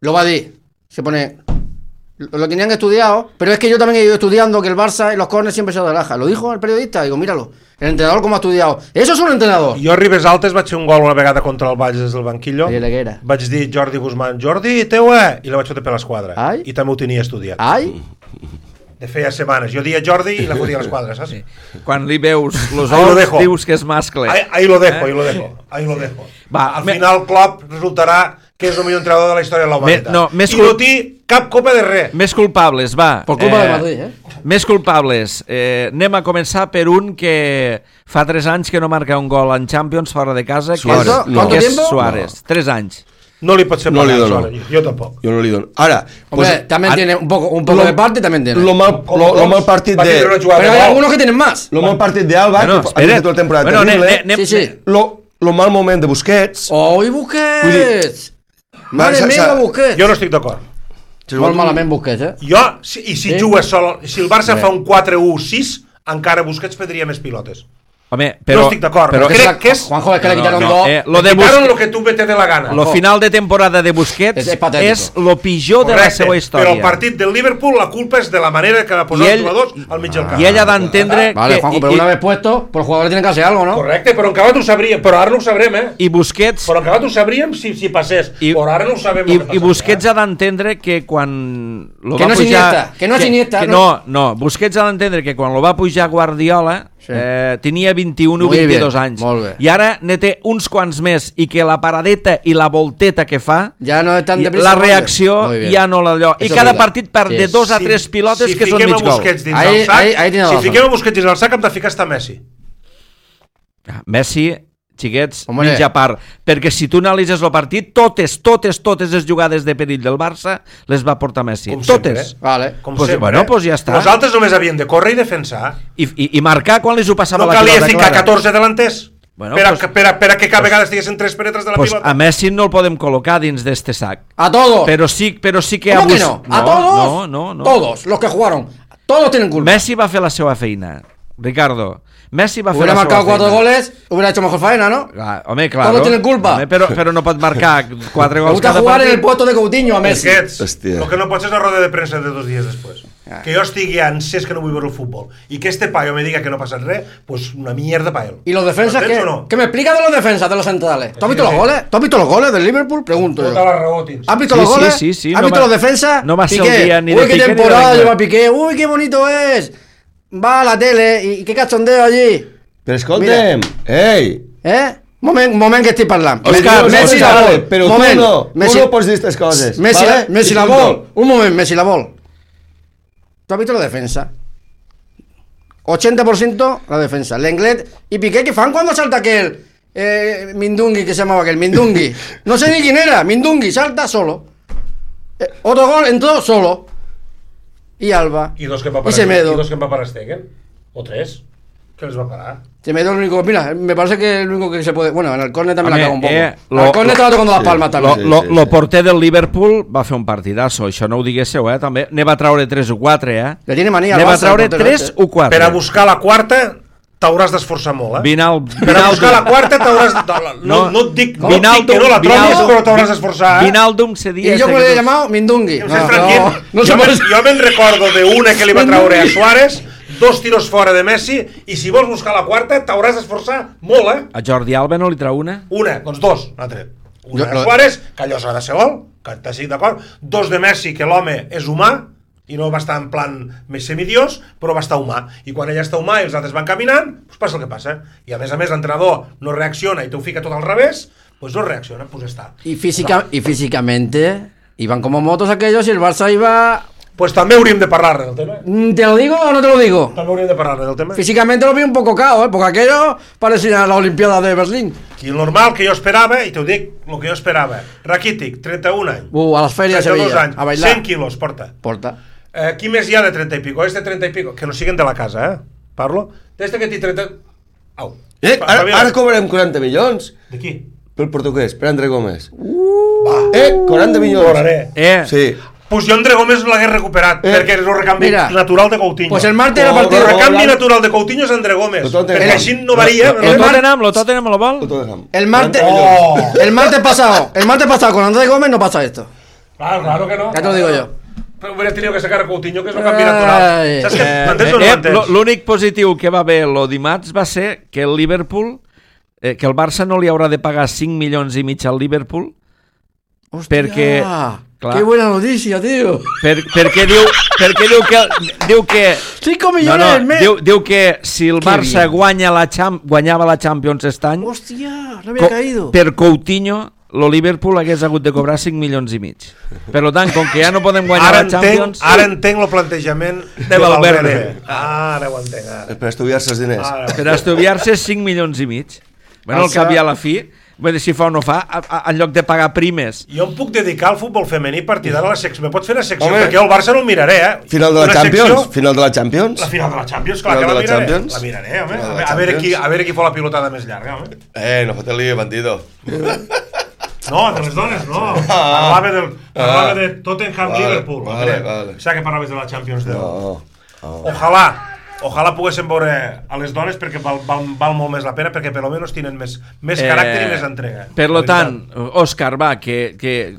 Lo va a decir, se pone... Lo tenían estudiado, pero es que yo también he ido estudiando que el Barça en los córners siempre se relaja. Lo dijo el periodista, digo, míralo, el entrenador como ha estudiado. Eso es un entrenador. Jo a Ribes Altes vaig fer un gol una vegada contra el Valls des del banquillo. Vaig dir Jordi Guzmán, Jordi, teua, i la vaig fotre per l'esquadra. Ai. I també ho tenia estudiat. Ai. De feia setmanes. Jo dia Jordi i la fotia a l'esquadra, saps? Sí. Quan li veus los ous, dius que és mascle. Ahí, ahí lo dejo, ahí lo dejo. Ahí lo dejo. Va, al me... final Klopp resultarà que és el millor entrenador de la història de la humanitat. No, I cul... no té cap copa de res. Més culpables, va. Per culpa eh, de Madrid, eh? Més culpables. Eh, anem a començar per un que fa tres anys que no marca un gol en Champions fora de casa, Suárez. que és, No. que és Suárez. No. Tres anys. No li pot ser no pagar a Suárez. Jo tampoc. Yo no le doy. Ahora, pues, Hombre, también a... tiene un poco, un poco lo, de parte, también tiene. Lo mal, lo, lo mal partido de... Pero hay algunos que tienen más. Lo mal partido de Alba, bueno, que ha hecho toda la temporada bueno, terrible. Ne, ne, sí, sí. Lo, lo mal moment de Busquets. ¡Oh, y Busquets! Madre meva, Busquets. Jo no estic d'acord. Molt malament Busquets, eh? Jo, si, i si Sí? jugues sol, si el Barça fa un quatre u sis, encara Busquets perdria més pilotes. Home, però... no estic d'acord, però però crec que és... Juanjo, es que le No, quitaron no, dos. eh, lo de Quitaron Busquets... lo que tu te dé la gana. Lo final de temporada de Busquets És- és patètico. és lo pitjor de la Correcte, seva història. però el partit del Liverpool la culpa és de la manera que va posar I els ell- jugadors al mig del camp. I ell ha d'entendre Vale, que... Juanjo, i- pero i- una vez puesto, pues los jugadores tienen que hacer algo, ¿no? Correcte, però en acabat ho sabríem, però ara no ho sabrem, eh? I Busquets... Però en acabat ho sabríem si, si passés, I- però ara no ho sabem. I, el que i passa, Busquets eh? ha d'entendre que quan lo Que va no és pujar... Iniesta, que no és Iniesta, que no. no, no, Busquets ha d'entendre que quan lo va pujar Guardiola Sí. eh, tenia vint-i-un o Muy vint-i-dos bien, anys. molt bé. I ara ne té uns quants més i que la paradeta i la volteta que fa, Ya no es tan i deprisa. la muy bien. reacció Muy bien. ja no l'allò. I Eso cada es verdad. partit perd Sí, de es. dos a tres pilotes si que són fiquem mig a gol. Busquets dins Ahí- del sac, ahí- ahí tiene si razón. fiquem a Busquets dins del sac hem de ficar hasta Messi. Ah, Messi, xiquets, Hombre. mitja part. Perquè si tu analitzes el partit, totes, totes, totes les jugades de perill del Barça les va portar Messi. Com totes. sempre, Vale. Com Pues, sempre. bueno, pues ja està. Nosaltres només havíem de córrer i defensar. I, i, i marcar quan li ho passava No la calia pilota ficar clara. catorze delanters. Bueno, per, a, pues- per, a, per a que cada vegada estiguessin tres penetres de la Pues pilota. a Messi no el podem col·locar dins d'este sac. A todos. Però sí, però sí que... ¿Cómo que Bus- no? ¿A todos? No, no, no. Todos, los que jugaron. Todos tienen culpa. Messi va fer la seva feina, Ricardo. Messi va fer Hubiera la marcado seva cuatro feina. goles, hubiera hecho mejor faena, ¿no? Ah, home, claro. Todos tienen culpa. Home, però, però no pot marcar quatre Me gols gusta cada jugar en partit. el puesto de Coutinho a Messi. Busquets, Hòstia. el que no pot ser és una roda de premsa de dos dies després. Ah. Que jo estigui ansés que no vull veure el futbol i que este paio me diga que no ha passat res, pues una mierda pa él. ¿Y los defensas ¿Entens qué? o no? ¿Qué me explica de los defensas de los centrales? ¿Tú has visto sí, los sí. goles? ¿Tú has visto los goles del Liverpool? Pregunto Tota yo. la raó tens. ¿Has visto Sí, los sí, goles? sí, sí, ¿Has no visto va- los defensas? no va a ser Piqué. el día ni de Uy, qué Piqué ni de temporada Wenger. lleva Piqué. Uy, qué bonito es. Va a la tele y qué cachondeo allí. Però escolta'm, ei, ¿Eh? Moment, moment que estic parlant. Òscar, Messi Òscar, la vale, vol. però tu Moment. no, Messi, tu no pots dir aquestes coses. Messi, vale? Messi I la punto. vol. Un moment, Messi la vol. ¿Tú has visto la defensa? ochenta por ciento la defensa. Lenglet y Piqué, que fan cuando salta aquel eh, Mindungui, que se llamaba aquel Mindungui. No sé ni quién era. Mindungui salta solo. Eh, otro gol entró solo. Y Alba. I dos que va Y parar, Semedo. i dos que va parar Stegen. O tres. Que les va parar. Semedo el único. Mira, me parece que el único que se puede. Bueno, en el córner también Home, la cago un poco. eh, Al lo- córner estaba tocando las sí, palmas Lo, también. Sí, lo, sí, lo sí. porter del Liverpool va fer un partidasso, això no ho diguéssiu, eh, també. Ne va traure tres o quatre, eh. Le tiene manía al Ne va Barça, traure el portero tres este. o quatre. Per a buscar la quarta t'hauràs d'esforçar molt, eh? Vinal, Per a buscar la quarta t'hauràs... de- No, No. no et dic, no et Vinaldum, dic que no la trobis, Vinaldum, però t'hauràs d'esforçar, eh? Vinaldum cedia... Y yo este me lo he que- llamado Mindungui. Em sents tranquil? no jo, se me, puede- jo me'n recordo d'una que li va traure a Suárez, dos tiros fora de Messi, i si vols buscar la quarta t'hauràs d'esforçar molt, eh? A Jordi Alba no li trau una? Una, doncs dos, n'ha tret. Una Jo- de Suárez, que allò s'ha de ser gol, que t'estic d'acord. Dos de Messi, que l'home és humà, i no va estar en plan més semidiós, però va estar humà. I quan ella està humà i els altres van caminant, doncs passa el que passa. I a més a més l'entrenador no reacciona i t'ho fica tot al revés, doncs no reacciona, doncs està. Y, física, y físicamente iban como motos aquellos y el Barça iba... Pues també hauríem de parlar del tema. Mm, ¿Te lo digo o no te lo digo? També hauríem de parlar del tema. Físicamente lo vi un poco cao, ¿eh? Porque aquello parecía la Olimpiada de Berlín. I el normal que jo esperava, i t'ho dic, el que jo esperava, Rakitic, trenta-un anys, Uh, a las ferias de trenta-dos Sevilla, anys, a bailar. cent quilos, porta. Porta. Eh, qui més hi ha de trenta i pico? Este trenta i pico, que no siguen de la casa, eh? Parlo. D'este que té trenta... Au. Eh, Va, ara, va, ara cobrarem quaranta milions De qui? pel portuguès, per André Gómez. Va. Eh, quaranta milions. Cobraré. Eh, Sí. Pues jo André Gómez l'hagués recuperat, Eh. perquè és el recanvi Mira. natural de Coutinho. Pues el martes Oh, el partido... El Hola. recanvi natural de Coutinho és André Gómez, Lo Tottenham. perquè així no varia. lo no? Tottenham, lo Tottenham lo vol? Lo Tottenham. El martes... Oh. El martes pasado, el martes pasado con Andrés Gómez no pasa esto. Claro, claro que no. Ya te lo digo yo. Però hubiera tenido que sacar a Coutinho, que és un canvi natural. Ai. Saps que Eh, m'entens o no eh, m'entens? lo- L'únic positiu que va haver lo dimarts va ser que el Liverpool, eh, que el Barça no li haurà de pagar cinc milions i mig al Liverpool, Hostia, Perquè, clar. qué buena noticia, tío. per, perquè diu, perquè diu que, diu que cinco no, millones no, al mes. diu, diu que si el Qué Barça bien. guanya la Cham, guanyava la Champions aquest any, Hostia, no había co- caído. per Coutinho, lo Liverpool hagués hagut de cobrar cinc milions i mig. Per tant, com que ja no podem guanyar Ara la entenc, Champions... ara entenc el plantejament de Valverde. Valverde. Ara ho entenc, ara. Per estudiar-se els diners. Ara. Per estudiar-se cinc milions i mig. Bueno, al Barça- cap i a la fi, vull dir, si fa o no fa, a, a, en lloc de pagar primes. Jo em puc dedicar al futbol femení partidari a la secció. Me pots fer una secció? Home. Perquè jo el Barça no el miraré, eh? Final de la Una Champions? secció- Final de la Champions? La final de la Champions, clar Final que de la la miraré. Champions? La miraré, home. Final de A, la ve- a, veure qui, Champions. a veure qui fa la pilotada més llarga, home. Eh, no fot el lío, bandido. No, de les dones no. Parlava, del, parlava de Tottenham-Liverpool. Vale, vale. Saps que parlaves de la Champions League? No, no. Ojalà, ojalà poguéssim veure a les dones perquè val, val, val molt més la pena, perquè per almenys tenen més, més caràcter i més entrega. Per lo tant, Òscar, va, que, que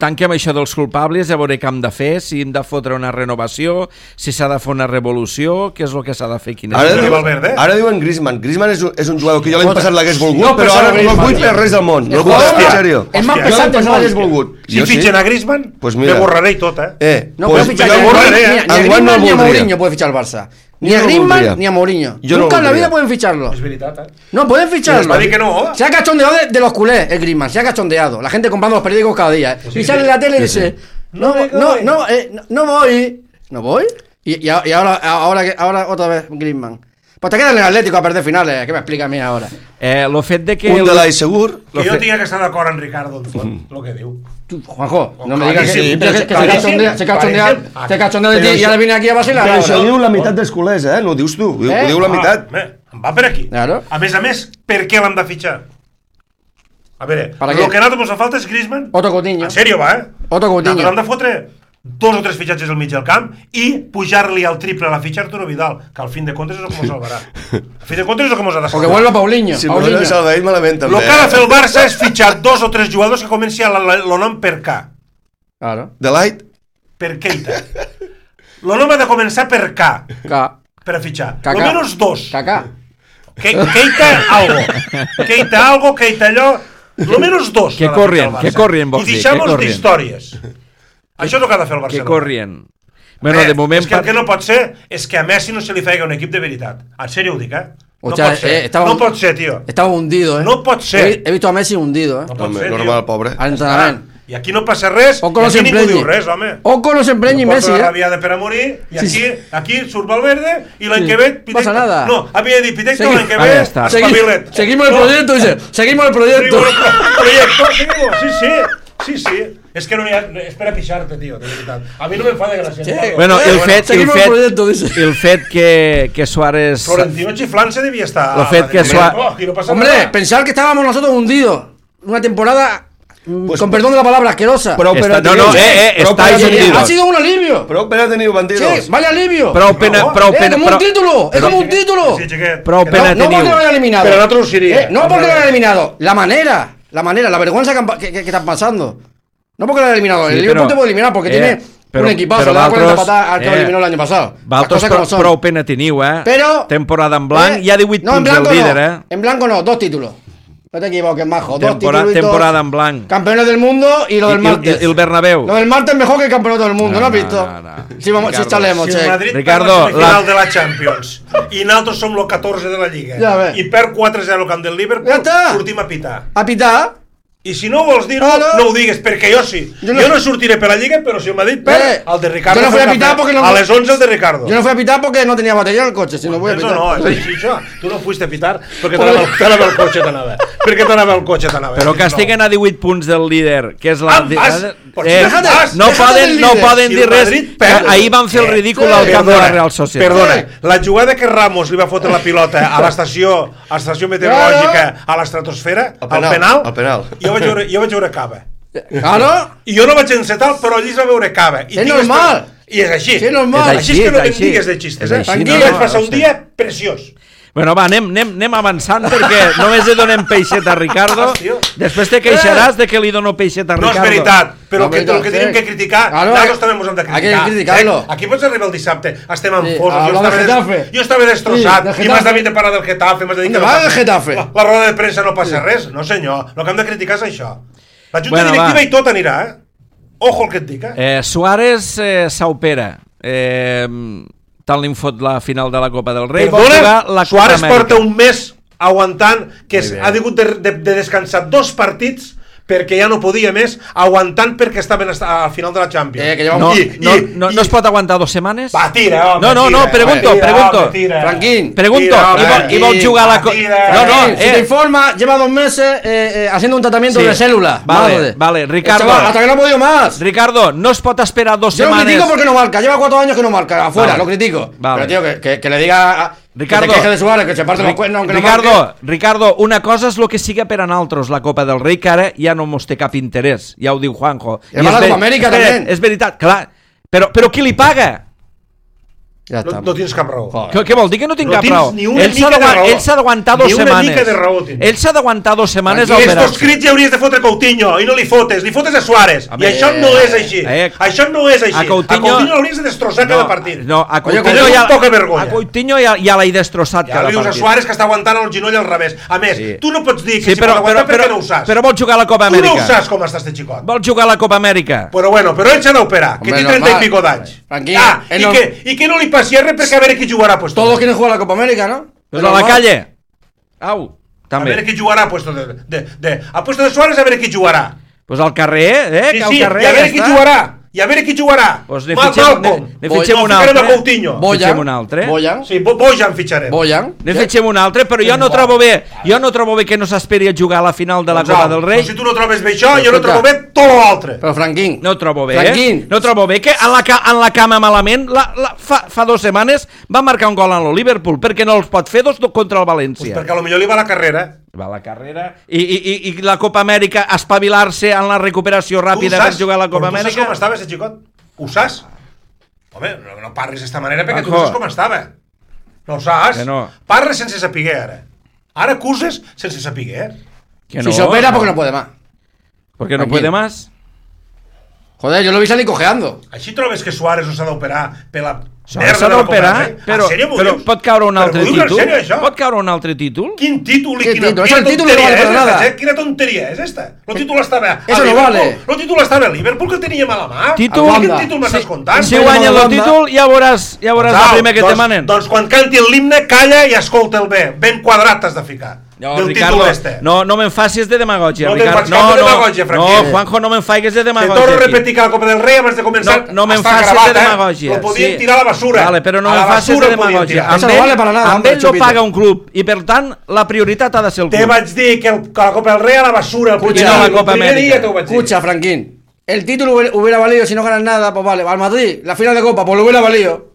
tanquem això dels culpables, a veure què hem de fer, si hem de fotre una renovació, si s'ha de fer una revolució, què és el que s'ha de fer? Quina Ara, és diu, Valverde? ara diuen Griezmann. Griezmann és un, és un jugador que jo l'any passat l'hagués volgut, No, però ara no el Griezmann, vull tio. per res del món. No el vull, Hòstia. en sèrio. És més Jo pesat l'any del passat món. l'hagués volgut. Si Jo sí. fitxen a Griezmann, Pues mira. me borraré i tot, eh? Eh, No pues puede fichar jo ni a borraré, Griezmann, eh? ni a Enguany Griezmann no el ni a voldria. Mourinho puede fichar el Barça. Ni Yo a no lo Griezmann voldría. ni a Mourinho. Yo no Nunca lo en la voldría. vida pueden ficharlo. És veritat, eh? No, pueden ficharlo. Va dir que no. Se ha cachondeado de, de los culés, el Griezmann. Se ha cachondeado. La gente comprando los periódicos cada día. ¿eh? sí, y sale sí. en la tele y dice: No, No me no, voy. no, eh, no, no voy. ¿No voy? Y, y, y ahora, ahora, que- ahora otra vez Griezmann. Pues te quedas en el Atlético a perder finales. ¿Qué me explica a mí ahora? Eh, lo fet de que... Un el- de l'Ai segur. Que jo tinc que estar d'acord amb Ricardo, en font, el que diu. Tú, Juanjo, no me digas que, Claríssim, que- que- que se claríssim, cachondea, se cachondea, claríssim. se cachondea de Però ti y això- ahora viene aquí a vacilar. Però això ahora. diu la meitat dels culers, eh? No ho dius tu, ho diu, Eh? ho diu la meitat. Ah, bé, em va per aquí. Claro. A més a més, per què l'hem de fitxar? A veure, ¿Para el qué? que a nosaltres ens falta és Griezmann. Otro Coutinho. En sèrio, va, eh? Otro Coutinho. Nosaltres hem de fotre dos o tres fitxatges al mig del camp i pujar-li al triple a la fitxa Arturo Vidal, que al fin de comptes és el que ens salvarà. Al fin de comptes és el que ens ha de O que salvar. vuelva Paulinho. Si Paulinho. no salvaït malament, també. El que ha de fer el Barça és fitxar dos o tres jugadors que comenci a el nom per K. Claro. De Light? Per Keita. El nom ha de començar per K, K. per a fitxar. Kaká. Almenys dos. Kaká. Ke Keita algo. Keita algo, Keita allò. Lo menos dos. Que ha de corrien, ficar el que Barça. corrien, vols I dir, deixem-nos que corrien. d'històries. Això és el que ha de fer el Que Barcelona. corrien. Bueno, Eh, de moment... És que el que no pot ser és que a Messi no se li faci un equip de veritat. En sèrio ho dic, eh? No O sea, pot ser. eh, estaba- No pot ser, tio. Estaba hundido, ¿eh? No pot ser. He, he visto a Messi hundido, ¿eh? No pot Home, ser, normal, tio. pobre. Al entrenamiento. I aquí no passa res, Oco i no aquí se ningú empreñi. diu res, home. Oco no se empreñi No Messi, porta la ¿eh? rabiada per a morir, i Sí, aquí, sí. aquí surt Valverde, i l'any Sí. que ve... Passa nada. No, havia dit Pitecto Segui- l'any que Vale, ve, ja està. Segui- espavilet. seguimos el No. proyecto, dice. Seguimos el proyecto. Seguimos el proyecto, seguimos, sí, sí. Sí, sí. És que no n'hi ha... És per a pixar-te, tio, de veritat. A mi no me'n fa de gràcia. Sí. no. Bueno, el fet, el seguimos el fet, proyecto, dice. el fet que, que Suárez... Florentino xiflant-se devia estar... Lo fet que Madrid. Suá- Oh, aquí no passa Hombre, nada. pensar que estábamos nosotros hundidos. Una temporada, mm, Pues- con perdón de la palabra, asquerosa. Prou per Està- a no, tenir... no, eh, eh, prou per a estáis tenir- hundidos. Ha sido un alivio. Prou per a tenir bandidos. Sí, vale alivio. Prou pena... No, Prou Eh, pena como prou- un título. Es como un título. Sí, xiquet. Prou Que pena No, no porque teniu. lo hayan eliminado. Pero nosotros iría. Eh, no porque lo hayan eliminado. La manera. La manera, la vergüenza que, han pa- que, que- que están pasando. No porque lo hayan eliminado. Sí, el Liverpool pero- te puede eliminar porque eh, tiene pero- un equipazo. pero Le da cuarenta valtros, patadas al que eh, lo eliminó el año pasado. Las Valtros cosas prou, como son. prou pena teniu, eh? Pero- Temporada en blanc, Eh, hi ha divuit no, en punts del blanco líder, no. eh? En blanco no, dos títulos. No te equivoques, majo. Dos Tempora- títulos. temporada en blanc. Campeones del mundo y lo I, del martes. i, i el Bernabéu. Lo del martes es mejor que el campeonato del mundo, No, ¿no, has no, visto? no, no. Si, vamos, si Ricardo, estaremos, Si che. el Madrid Ricardo, perd la semifinal la- de la Champions i nosaltres som el catorze de la Lliga Ja ve. i perd quatre zero al camp del Liverpool, Ja està. sortim a pitar. A pitar. I si no vols dir-ho, Claro. no ho digues, perquè jo sí. Jo Jo no- no, sortiré per la Lliga, però si el Madrid perd, Eh, el de Ricardo... jo no fui a fa pitar cafè. porque no- A les onze el de Ricardo. Yo no fui a pitar porque no tenía batería en el coche, si no voy a Eso pitar. no, és així, això. Tu no fuiste a pitar perquè t'anava el- t'anava el cotxe, t'anava. Perquè t'anava el cotxe, t'anava. Però que estiguen a divuit punts del líder, que és la... Ah, vas. Pots eh, déjate, no déjate poden, del no líder. poden Si dir el res. Madrid perd. que Ahir van fer el Eh, ridícul sí. al camp de la Perdona, Real Societat. Perdona, la jugada que Ramos li va fotre la pilota a l'estació a l'estació meteorològica a l'estratosfera, Al al penal, penal, al penal. jo vaig veure, jo vaig veure Cava. Claro. I jo no vaig encetar, però allí es va veure Cava. I És tinc normal. esper- I és així. Sí, és normal. És Així, així, és que no és te'n així. digues de xistes, És eh? així, Tranquil, no, vaig passar no un sé. dia preciós. Bueno, va, anem, anem, anem avançant perquè només li donem peixet a Ricardo. Vas, tio. Després te queixaràs de que li dono peixet a No Ricardo. és veritat, però No, que, veritat, el que sí. tenim que criticar, Claro, nosaltres hay- també ens hem de hay criticar. que criticarlo. Eh? Aquí pots arribar el dissabte, estem en Sí, fosos, jo hablar estava, del des, Getafe. jo estava destrossat, Sí, del i m'has Getafe. de parlar del Getafe, m'has de dir que ¿Dónde no va passa- el Getafe? La, la roda de premsa no passa res, no senyor, el que hem de criticar és això. La junta Bueno, directiva va. i tot anirà, eh? Ojo el que et dic, eh? Eh, Suárez eh, s'opera. Eh, tant li fot la final de la Copa del Rei. vol Perdona, jugar la Copa Suárez Amèrica. porta un mes aguantant que Muy bé. ha hagut de, de, de descansar dos partits perquè ja no podia més, aguantant perquè estaven hasta- al final de la Champions. Eh, que lleva No, I- no, i- no, i- no es pot aguantar dos setmanes? Va, tira, home, No, no, no, tira, pregunto, tira, pregunto. home, tira. Franquín. Pregunto, Tira, i, vol, i vol tira, jugar la... Co tira. no, no, Franquín, si te eh, informa, lleva dos meses eh, eh, haciendo un tratamiento Sí. de células. Vale, Madre. vale, El Ricardo. chaval, hasta que no ha podido más. Ricardo, no es pot esperar dos Yo lo setmanes... critico porque no marca. Lleva cuatro años que no marca. Afuera, Vale. lo critico. Vale. Pero, tío, que, que, que le diga... a- Ricardo, que se queje de Suárez, que se parte los cuernos aunque Ricardo, no marque. Ricardo, una cosa és el que siga per a nosaltres la Copa del Rei, que ara ja no mos té cap interès, ja ho diu Juanjo. I la Copa Amèrica també. És veritat, clar, però, però qui li paga? Ja No, està. no tens cap raó. Què, què vol dir que no tinc No cap tens raó? ni una Ell s'ha mica de d'agua- raó. ell s'ha d'aguantar dos Ni una setmanes. mica de raó tens. Ell s'ha d'aguantar dos setmanes I a estos operar-se. crits ja hauries de fotre Coutinho i no li fotes, li fotes a Suárez. Home, I això no és així. eh, Això no és així. a Coutinho- A Coutinho l'hauries de destrossar cada partit. No, a Oye, Coutinho, Coutinho ja, és poca vergonya. a Coutinho ja, ja l'he destrossat Ja cada li dius a partit. Suárez que està aguantant el genoll al revés. A més, Sí. tu no pots dir que Sí, si però, pot però, aguantar però, perquè no ho saps. però vol jugar a la Copa Tu no Amèrica. ho saps com està este xicot. Vol jugar a la Copa Amèrica. Però bueno, però ell s'ha d'operar, que Hombre, té trenta normal. i pico d'anys. Tranquilo, Ah, él i, no- que, i que no li passi res perquè a veure qui jugarà puesto. Todos quieren jugar la Copa América, ¿no? Pues a la calle. Au, A veure també. qui jugarà puesto de, de, de, a puesto de Suárez a veure qui jugarà. Pues al carrer, eh? Sí, que al sí, carrer i a veure ja qui està. jugarà. I a veure qui jugarà. Pues ne Mal- fitxem, ne, Malcom. ne Boy- fitxem no, un ficarem altre. a Coutinho. Fitxem Boyan, un altre. Boyan, Sí, Bo- Bojan fitxarem. Boyan. Ne fitxem un altre, però jo no trobo bé, jo no trobo bé que no s'esperi a jugar a la final de la Doncs Copa au, del Rei. doncs si tu no trobes bé això, jo no Escolta. trobo bé tot l'altre. Pero Franquín. No trobo bé, eh? Franquín. No trobo bé que en la, ca en la cama malament, la, la, fa, fa dues setmanes va marcar un gol en el Liverpool, perquè no els pot fer dos contra el Pues València. perquè a lo millor li va la carrera. Va a la carrera i, i, i, i la Copa Amèrica, espavilar-se en la recuperació ràpida per jugar a la Copa Però tu saps Amèrica. com estava ese xicot? Ho saps? Home, no, no parlis d'esta manera perquè tu Juanjo. saps com estava. No ho saps? Que no. Parles sense saber ara. Ara acuses sense saber. Que Si se opera porque no puede más. Porque no Tranquilo. puede más. Joder, yo lo vi salir cojeando. Així trobes que Suárez no s'ha d'operar per la S'ha merda s'ha de la Copa d'operar, del Rei? però, En sèrio m'ho però dius? pot caure un Però altre m'ho dius en títol? sèrio, això? Pot caure un altre títol? Quin títol i ¿Qué quina, títol? quina Eso, el títol no tonteria vale és para esta, nada. eh? Quina tonteria és esta? El títol estava a Eso no Liverpool. vale. El títol estava a Liverpool que teníem a la mà. Títol? Quin Anda. títol m'estàs contant? Si guanya el Holanda. títol, ja veuràs, ja veuràs Doncs, el primer que doncs, te manen. Doncs quan canti l'himne, calla i escolta'l bé. Ben quadrat t'has de ficar. No, del Ricardo, títol este. no, no me'n facis de demagògia, No te'n Ricardo. faig cap de demagògia, no, Franquí. no, Juanjo, no me'n faigues de Te demagògia. torno a aquí. repetir que la Copa del Rei abans de començar No, no me'n està facis gravat, de eh? demagògia. Lo podien sí. tirar a la basura. Vale, però no A la me'n facis basura de el podien demagògia. tirar. Amb Eso no ell, vale para nada, amb hombre, ell no Chupito. paga un club i, per tant, la prioritat ha de ser el Te club. vaig dir que, el, que la Copa del Rei a la basura. El primer, no la el Copa primer Amèrica. dia t'ho vaig dir. Escucha, Franquín. El título hubiera- hubiera valido si no ganas nada, pues vale. Al Madrid, la final de Copa, pues lo hubiera valido.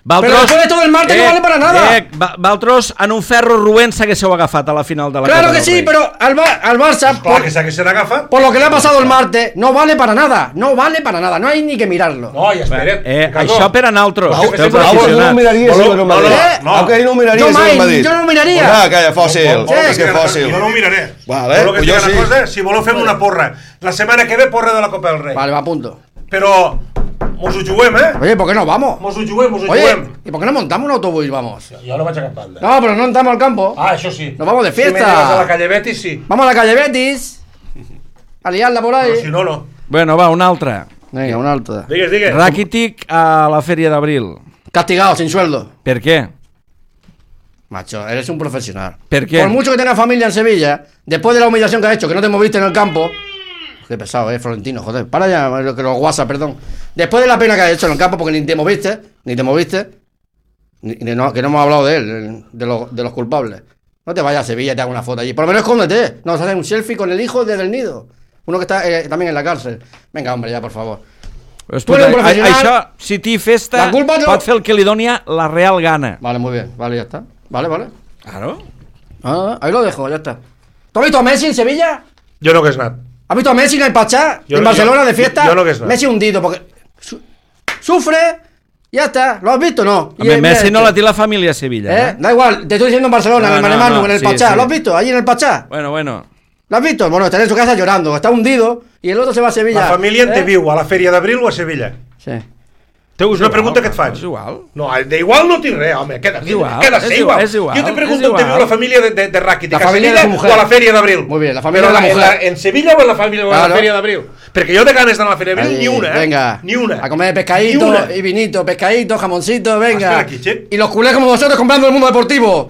Valtros, Però después de todo el martes no vale para nada. Eh, Va- Valtros, en un ferro roent s'haguéssiu agafat a la final de la Claro Copa que del sí, Rei. pero al, Ba- al Barça, Clar por, que s'haguessin agafat. por lo que le ha pasado el martes, no vale para nada. No vale para nada. No hay ni que mirarlo. No, i espera't. Eh, Ricardo. això per a nosaltres, Au, pels au, Au, no aficionats. miraria si No, no, no, Madrid. no, no. Au, que no miraria Jo si mai, no Madrid. jo no miraria. Pues nada, calla, fòssil. Vol- vol És que que- fòssil. Jo no ho miraré. Vale, Voleu que pues et jo digui sí. una cosa? Si voleu fem una porra. La setmana que ve, porra de la Copa del Rei. Vale, va a punto. Però mos ho juguem, eh? Oye, ¿por qué no vamos? Mos ho juguem, mos ho Oye, juguem. ¿y por qué no montamos un autobús y vamos? Jo no vaig a cap banda. No, pero no entramos al campo. Ah, això sí. Nos vamos de Si me fiesta. llevas a la calle Betis, sí. Vamos a la calle Betis. A liarla por ahí. Però si no, no. Bueno, va, una altra. Venga, una alta. Digues, digues. Rakitic a la Fèria d'Abril. Castigado, sin sueldo. Per què? Macho, eres un profesional. ¿Por qué? Por mucho que tengas familia en Sevilla, después de la humillación que has hecho, que no te moviste en el campo. Qué pesado, eh, Florentino, joder. Para ya, lo que los WhatsApp, perdón. Después de la pena que has hecho en el campo, porque ni te moviste, ni te moviste, ni, ni no, que no hemos hablado de él, de los, de los culpables. No te vayas a Sevilla y te hagas una foto allí. Por lo menos escóndete. No, haces un selfie con el hijo desde el nido. Uno que está eh, también en la cárcel. Venga, hombre, ya, por favor. Escolta, eres un a- professional. això, si t'hi festa, La culpa no- pot fer el que li doni la real gana. Vale, muy bien. Vale, ya está. Vale, vale. Claro. Ah, ahí lo dejo, ya está. ¿Tú has visto a Messi en Sevilla? Jo no hagués anat. ¿Has visto a Messi en el Pachá? Yo en no- Barcelona yo- de fiesta. yo no que es nada. Messi hundido porque su- sufre. Ya está. ¿Lo has visto o no? A Y, mi, eh, Messi mira no la este. té la família a Sevilla. ¿Eh? Eh? Da igual, te estoy diciendo en Barcelona, No, en el no, Manemanu, no, en el sí, Pachá. sí. ¿Lo has visto? Allí en el Pachá. Bueno, bueno. ¿Lo has visto? Bueno, está en su casa llorando, está hundido y el otro se va a Sevilla. La família en ¿Eh? te viu a la Fèria d'Abril o a Sevilla? Sí. És una pregunta que et faig. És igual. No, de igual no tinc res, home. Queda, És igual, queda és ser igual, igual. és igual, Jo te és pregunto on te igual. viu la família de, de, de Rakitic, La a família de Sevilla su mujer. o a la Fèria d'Abril? Muy bien, la familia Però de la en mujer. En Sevilla o en la, família, o en Claro. la Fèria d'Abril? Perquè jo de ganes d'anar a la Fèria d'Abril Ahí, ni una, eh? Venga. Ni una. A comer Ni pescadito una. y vinito, pescadito, jamoncito, venga. Espera aquí, che. Y los culés como vosotros comprando el mundo deportivo.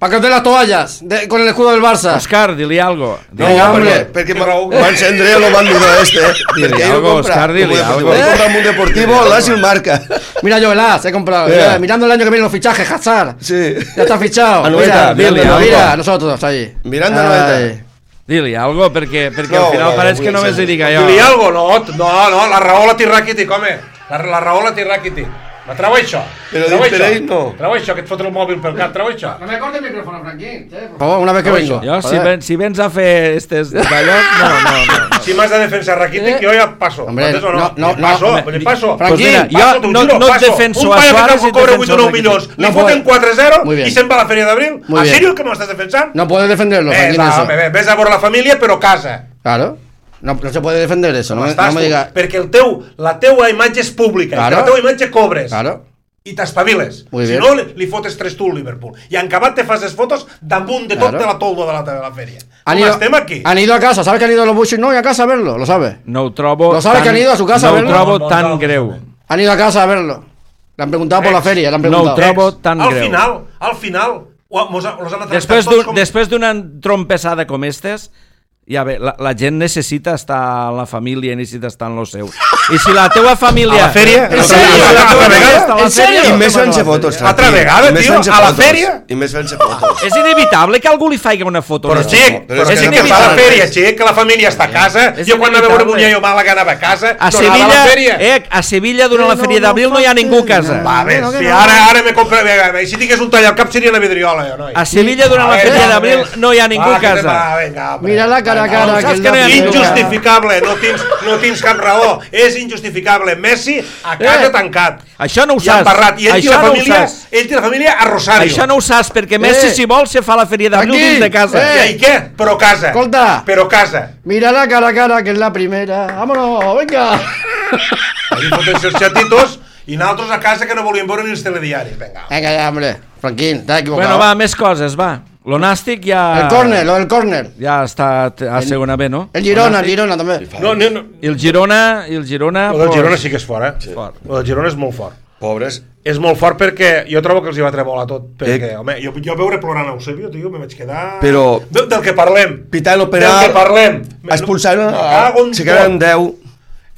Para que os den las toallas de- con el escudo del Barça. Òscar, dili algo. No, Venga, hombre. perquè, perquè Que raó. va encendre lo bandido este. Dile Perquè ell algo, ho compra. Òscar, dile Como algo. deportivo, ell compra un mundo deportivo, l'As el marca. Mira, yo el as, he comprado. Yeah. Mira, mirando el año que viene los fichajes, Hazard. Sí. Ya está fichado. Anoeta, mira, dile mira, algo. mira, nosotros ahí. Mirando Ay. Anoeta. Dili algo, perquè, perquè No, al final no, pareix no que vull només li ser. dic jo. Dir-li algo, no, no, no, la raó la té Rakitic, home. La, la raó la té Rakitic. Me treu això. Però treu dit per això. ell, no. Treu això, que et fotre el mòbil pel cap, treu això. No me corte el micrófono, Franquín. ¿eh? Por favor, una vez que vengo. Jo, si, ven, si vens a fer estes d'allò, no, no, no. no. Si m'has de defensar Rakitic, jo ja passo. Hombre, Entens o no? no, no, passo, no, vull dir, passo. Franquín, Pues mira, Passo, jo t'ho no, juro, no et passo. defenso un a paio Suárez que i cobra defenso vuit o nou a milions, li No foten puede- quatre a zero Muy bien. i se'n va a la Fèria d'Abril. Muy ¿A bien. serio que m'estàs defensant? No puedes defenderlo, Ves, Franquín, a, eso. ves, ves a por la família, però casa. Claro. No, no se puede defender eso, no, me- Estàs no me tu, diga. perquè el teu, la teua imatge és pública, Claro. i la teua imatge cobres. Claro. I t'espaviles. Muy Si bien. no, li, li fotes tres tu al Liverpool. I en acabat te fas les fotos damunt de tot Claro. de la toldo de la, de la fèria. Han Com ido, estem aquí? han ido a casa, ¿sabes que han ido los Bushis? No, y a casa a verlo, lo sabes. No ho trobo Lo sabe tan, que han ido a su casa a no ho verlo. trobo No, no, tan no, greu. no. Han ido a casa a verlo. Le han preguntado por la Ex. feria, le han No ho preguntado. trobo tan al greu. final, al final, ho- mos, ha- los han tractat Després tots d'un- com... després d'una trompessada com estes, ja bé, la, la gent necessita estar en la família, necessita estar en lo seu. I si la teua família... A la fèria? En En sèrio? sèrio? Si la teua ¿En família sèrio? està a la ¿En sèrio? fèria, I més no fent-se va a la fotos, fèria. Altra Franqui. vegada, I més tio, fent-se a la fotos. fèria? I més fent-se fotos. És inevitable que algú li faci una foto. Però no? xic, però però és és que que, no que passa fa la res. fèria, xic, que la família està a casa. És Jo quan anava a veure inevitable. Muñoz o Màlaga anava a casa, A no anava a la Sevilla, fèria. eh, a Sevilla durant la Fèria d'Abril no hi ha ningú a casa. Va, a veure, No, que si no. ara, ara me compra... I si tingués un tall al cap seria la vidriola, jo, noi. A Sevilla durant la Va, Fèria va, d'Abril va. no hi ha ningú Va, a que te casa. va, vinga, hombre. Mira la cara a cara, saps que es que no hi ha la ningú. primera. Injustificable, no tens, no tens cap raó. És injustificable. Messi a casa Eh, tancat. Això no ho I saps. emparrat. I ell i Això la no ho família, saps. ell i la família a Rosario. Això no ho saps, perquè Messi, Eh. si vol, se fa la Fèria d'Abril Aquí. dins de casa. Eh. I què? Però casa. Escolta. Però casa. Mira la cara a cara, que es la primera. Vámonos, venga. Ahí foten-se els xatitos i nosaltres a casa que no volíem veure ni els telediaris. Vinga. Venga ya, hombre. Franquín, estás equivocado. Bueno, va, més coses, va. Lo nàstic ja... El córner, lo del córner. Ja està a segona B, no? El Girona, el Girona també. No, no, no. I el Girona... I el Girona... El del pues, Girona sí que és fort, eh? Sí. Fort. El del Girona és molt fort. Pobres. És molt fort perquè jo trobo que els hi va tremolar tot. Perquè, Eh. home, jo, jo veure plorant a Eusebio, tio, me vaig quedar... Però- De, del que parlem. Pitant el Del penal, que parlem. expulsant, Me cago en se queden tot. deu.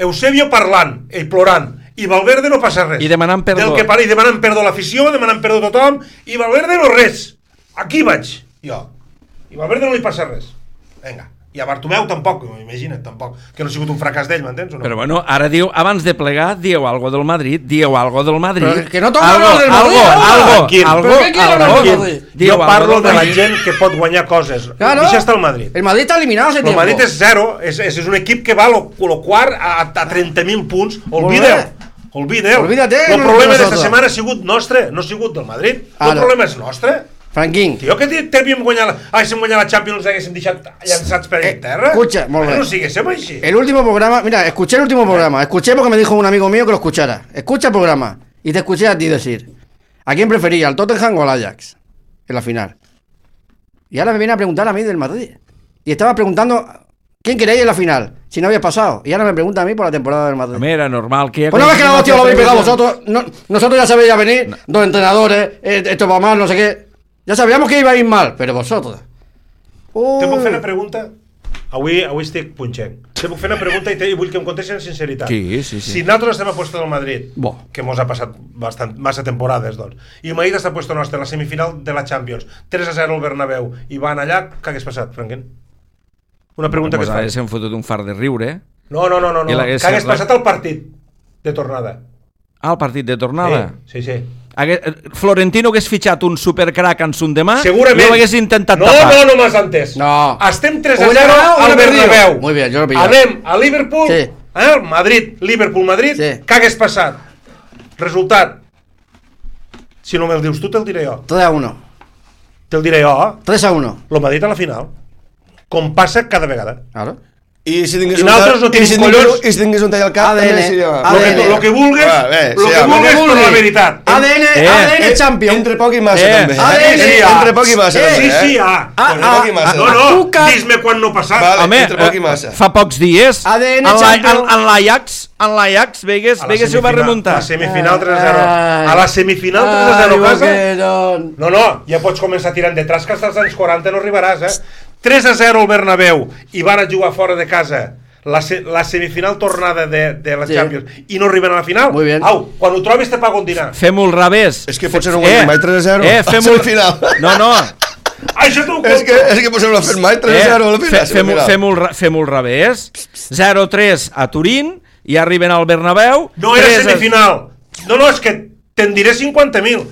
Eusebio parlant, ell plorant, i Valverde no passa res. I demanant perdó. Del que par... I demanant perdó a l'afició, demanant perdó a tothom, i Valverde no res. Aquí vaig, jo. I Valverde no li passa res. Vinga. I a Bartomeu tampoc, imagina't, tampoc. Que no ha sigut un fracàs d'ell, m'entens o no? Però bueno, ara diu, abans de plegar, dieu algo del Madrid, dieu algo del Madrid. Però que no toca algo, hablar del Madrid, algo, home. algo, Tranquil. algo, ¿Pero qué quiere hablar algo. del Madrid? Dieu Jo algo parlo del de la Madrid. gent que pot guanyar coses. Claro. Deixa estar el Madrid. El Madrid está eliminado hace El tiempo. Madrid és zero, és, és, és un equip que va lo, lo quart a, a trenta mil punts. Molt Olvideu. bé. Olvideu. Olvídate, El no problema de d'esta nosotros. setmana ha sigut nostre, no ha sigut del Madrid. Ara. El problema és nostre. Franquín. Tio, que t'havíem guanyat la... Ah, si hem guanyat la Champions haguéssim deixat llançats per Eh, terra. escucha, molt bé. No siguéssim així. El último programa, mira, escuché el último programa. Escuché porque me dijo un amigo mío que lo escuchara. Escucha el programa. Y te escuché a ti decir: ¿a quién prefería, al Tottenham o al Ajax? En la final. Y ahora me viene a preguntar a mí del Madrid. Y estaba preguntando: ¿quién queréis en la final? Si no había pasado. Y ahora me pregunta a mí por la temporada del Madrid. Home, era normal que... Pues no ves que la hostia lo habéis pegado vosotros. No, nosotros ya sabéis ya venir, dos entrenadores, eh, esto va mal, no sé qué. Ya sabíamos que iba a ir mal, pero vosotros. Uh, Te puc fer una pregunta? Avui, avui estic punxent. Te puc fer una pregunta i, te, i vull que em contestis amb sinceritat. Sí, sí, sí. Si nosaltres estem a puesto del Madrid, Bo. que mos ha passat bastant, massa temporades, doncs, i el Madrid està a puesto nostre, la semifinal de la Champions, tres a zero al Bernabéu, i van allà, què hagués passat, Franquín? Una pregunta que Pues et fa. haguéssim fotut un far de riure, eh? No, no, no, no, no. I Què l'hagués- hagués la- passat al partit de tornada? Ah, el partit de tornada. Sí, sí, sí. Hagués, Florentino hagués fitxat un supercrack en son demà Segurament. i ho hagués intentat no, tapar. No, no m'has entès. No. Estem tres a O hubiera zero ganado o al hubiera perdido. Bernabéu. Muy bien, yo lo he pillado. Anem a Liverpool, Sí. eh? Madrid, Liverpool, Madrid. Sí. Què hagués passat? Resultat. Si no me'l dius tu, te'l diré jo. tres a uno. Te'l diré jo. tres a uno. Lo Madrid a la final. Com passa cada vegada. Claro. I si tingués I un nosaltres no tall, i tenim si tingués, collons. i si tingués un tall al cap, A D N, també seria... A Lo D que, N. lo que vulgues, Va, bé, lo sí, que home. vulgues Lo que per la vulguis. veritat. A D N, Eh, A D N Eh, Champion. Entre poc i massa, Eh, també. A D N, Eh, ah, Entre poc i massa, eh, també, Sí, eh? sí, ah. Ah, Entre poc i massa. No, també. no, Azúcar. dis-me quan no ha passat. Vale. Home, entre poc i eh, massa. fa pocs dies A D N en la- en- Champions. en l'Ajax en l'Ajax Vegas, A la Vegas ho va semifinal- remuntar. A la semifinal tres a zero. Ai. A la semifinal tres a zero Ay, casa. Boquerón. No, no, ja pots començar tirant detrás, que hasta els anys quaranta no arribaràs, eh? tres a zero al Bernabéu i van a jugar fora de casa la, se la semifinal tornada de, de la Sí. Champions i no arriben a la final. Muy bien. Au, quan ho trobis te pago un dinar. Fem-ho al revés. És que potser no guanyem mai tres a zero. Eh, a fem-ho... semifinal. No, no. Això t'ho És que, és que potser no l'ha fet mai tres a zero a la fe- final. Fem-ho fem al re- fem-ho al revés. zero a tres a Turín i arriben al Bernabéu. No era tres a- semifinal. No, no, és que te'n diré cinquanta mil.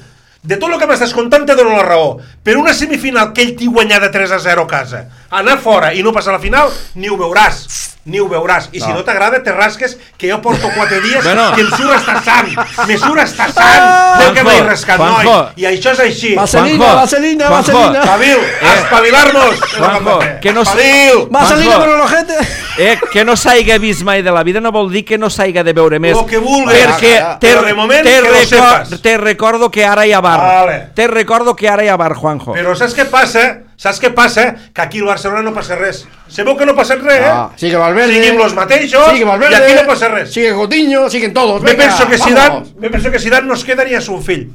De tot el que m'estàs contant te dono la raó. Per una semifinal que ell t'hi guanyar de tres a zero a casa, anar fora i no passar a la final, ni ho veuràs. Ni ho veuràs. I no. Si no t'agrada, te rasques, que jo porto quatre dies bueno. que em surt estar sant. Me surt estar sant del que m'he rascat, noi. I això és així. Vaselina, vaselina, vaselina. Espavil, eh. espavilar-nos. Juanjo, que no... Espavil. Vaselina per l'ojete. Eh, que no s'haiga vist mai de la vida no vol dir que no s'haiga de veure més. Lo que vulguis. Perquè te, Però de moment te, que lo sepas. Te recordo que ara hi ha bar. Vale. Te recordo que ara hi ha bar, Juanjo. Però saps què passa? Saps què passa? Que aquí al Barcelona no passa res. Sabeu que no passa res, eh? Ah, sigue Valverde. Seguim los mateixos sigue Valverde, i aquí no passa res. Sigue Coutinho, siguen todos. Me venga, penso que Zidane, me penso que Zidane no es queda ni a su fill.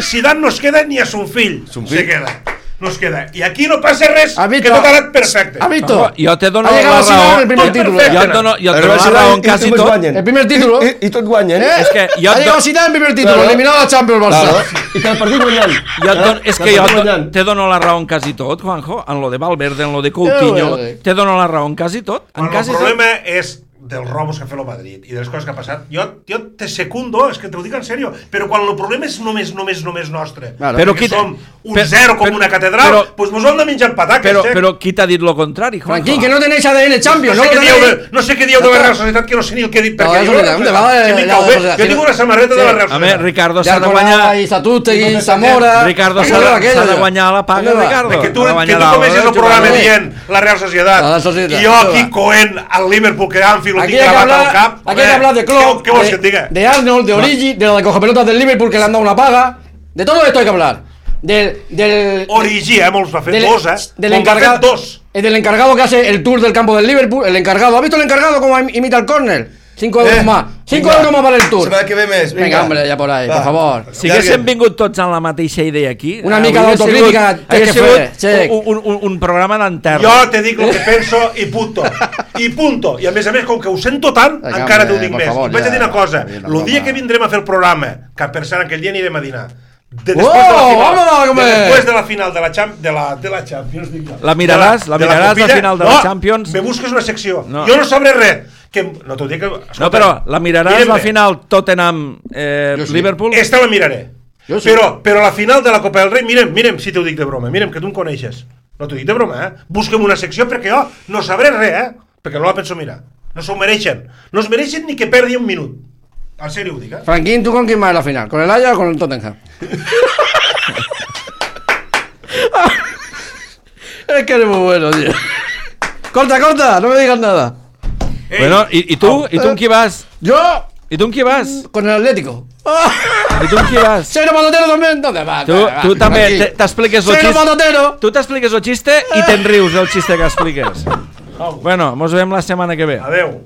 Zidane no es queda ni a su fill. Son Se fill. queda. No es queda. I aquí no passa res, ¿Has visto? que tot ha anat perfecte. ¿Has visto? Juanjo, jo te dono Ha la llegado Zidane raó. el primer Tot título. perfecte. Jo et dono, jo et Però dono la Zidane raó en i quasi tots tot. guanyen. El primer título. I, i tot guanyen. ¿Eh? És que jo ha et llegado dono... Zidane el primer título, Claro. eliminado a Champions Barça. Claro. I que el partit guanyant. Jo et dono, és Que que el jo partit et guanyant. dono, te dono la raó en quasi tot, Juanjo. En lo de Valverde, en lo de Coutinho, Eh, eh. te dono la raó en quasi tot. En Bueno, el quasi problema és dels robos que ha fet el Madrid i de les coses que ha passat. Jo, jo te secundo, és que te ho dic en sèrio, però quan el problema és només, només, només nostre, Claro. Però que qui te- som un per- zero com per- una catedral, però- doncs pues mos ho hem de menjar pataques. Però, eh? però qui t'ha dit lo contrari, Juanjo? Franquín, que no tenéis A D N Champions, no, no sé lo què dieu tenéis. de, no sé què dieu de la Real Societat, que no sé ni el que he dit. No, perquè la jo, Societat, ¿dónde va si la- m'hi la cau bé, Societat? jo tinc una samarreta de la Real A més, Societat. Ricardo De s'ha de Alcolada guanyar... y Satústegui, Zamora. Ricardo s'ha Aquello, de, aquello, s'ha de aquello. guanyar la paga, ¿Dónde va? Ricardo. Que tu, S'ha de que guanyar tu la- comences el jugador. programa dient la Real Societat La Societat. i jo aquí coent al Liverpool que Anfield lo Aquí tinc hay que gravat al hablar, cap. aquí hay que hablar de Klopp, Què vols de, que et diga? de Arnold, de Origi, de la de cogepelotas del Liverpool que le han dado una paga. De todo esto hay que hablar. Del, del, Origi, eh, molts va fer del, dos, eh? del Molts va fer encargado, dos. eh, del encargado que hace el tour del campo del Liverpool. El encargado, ¿has visto el encargado cómo imita el córner? Cinco euros Eh, más. Cinco vinga. euros más para el tour. Setmana que ve més. Venga, hombre, ya por ahí, Va. por favor. Si haguéssim vingut tots amb la mateixa idea aquí... Una eh, mica hauria d'autocrítica sigut- té hauria que fer, sigut Xec. un, un, un, un programa d'enterro. Jo te dic el que penso i punto. I punto. I a més a més, com que ho sento tant, Vinga, encara t'ho hombre, dic por més. favor, I vaig a dir ja. una cosa. Una El broma. dia que vindrem a fer el programa, que per cert aquell dia anirem a dinar, de, Oh, després, de la final, vámonos a comer. de, després de la final de la, Champ, de la, de la Champions, dic jo. La miraràs, De la miraràs Copilla. al final de la Champions. Me busques una secció. No. Jo no sabré res. Que, no t'ho dic que... Escolta, No, però la miraràs mirem la bé. final Tottenham eh, Jo sí. Liverpool. Esta la miraré. Jo sí. Però, però la final de la Copa del Rei, mirem, mirem si t'ho dic de broma, mirem, que tu em coneixes. No t'ho dic de broma, eh? Busquem una secció perquè jo no sabré res, eh? Perquè no la penso mirar. No s'ho mereixen. No es mereixen ni que perdi un minut. En sèrio ho dic, eh? Franquín, ¿tú con quién más en la final? ¿Con el Ajax o con el Tottenham? Es que eres muy bueno, tío. Corta, corta, no me digas nada. Ei, Bueno, i, i tu? I tu amb qui vas? Yo, I tu amb qui vas? con el Atlético. I tu amb qui vas? Cero Patatero también. ¿Dónde vas? Tu, tu també te- t'expliques el Cero xiste. Patatero. Tu t'expliques el xiste i te'n rius del xiste que expliques. Bueno, mos veiem la setmana que ve. Adeu.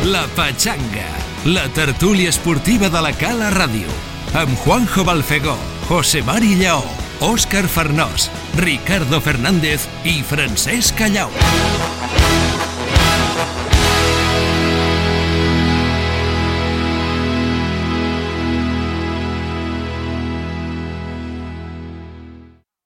La Pachanga, la tertúlia esportiva de la Cala Ràdio, amb Juanjo Balfegó, José Mari Lleó, Òscar Farnós, Ricardo Fernández i Francesc Callau.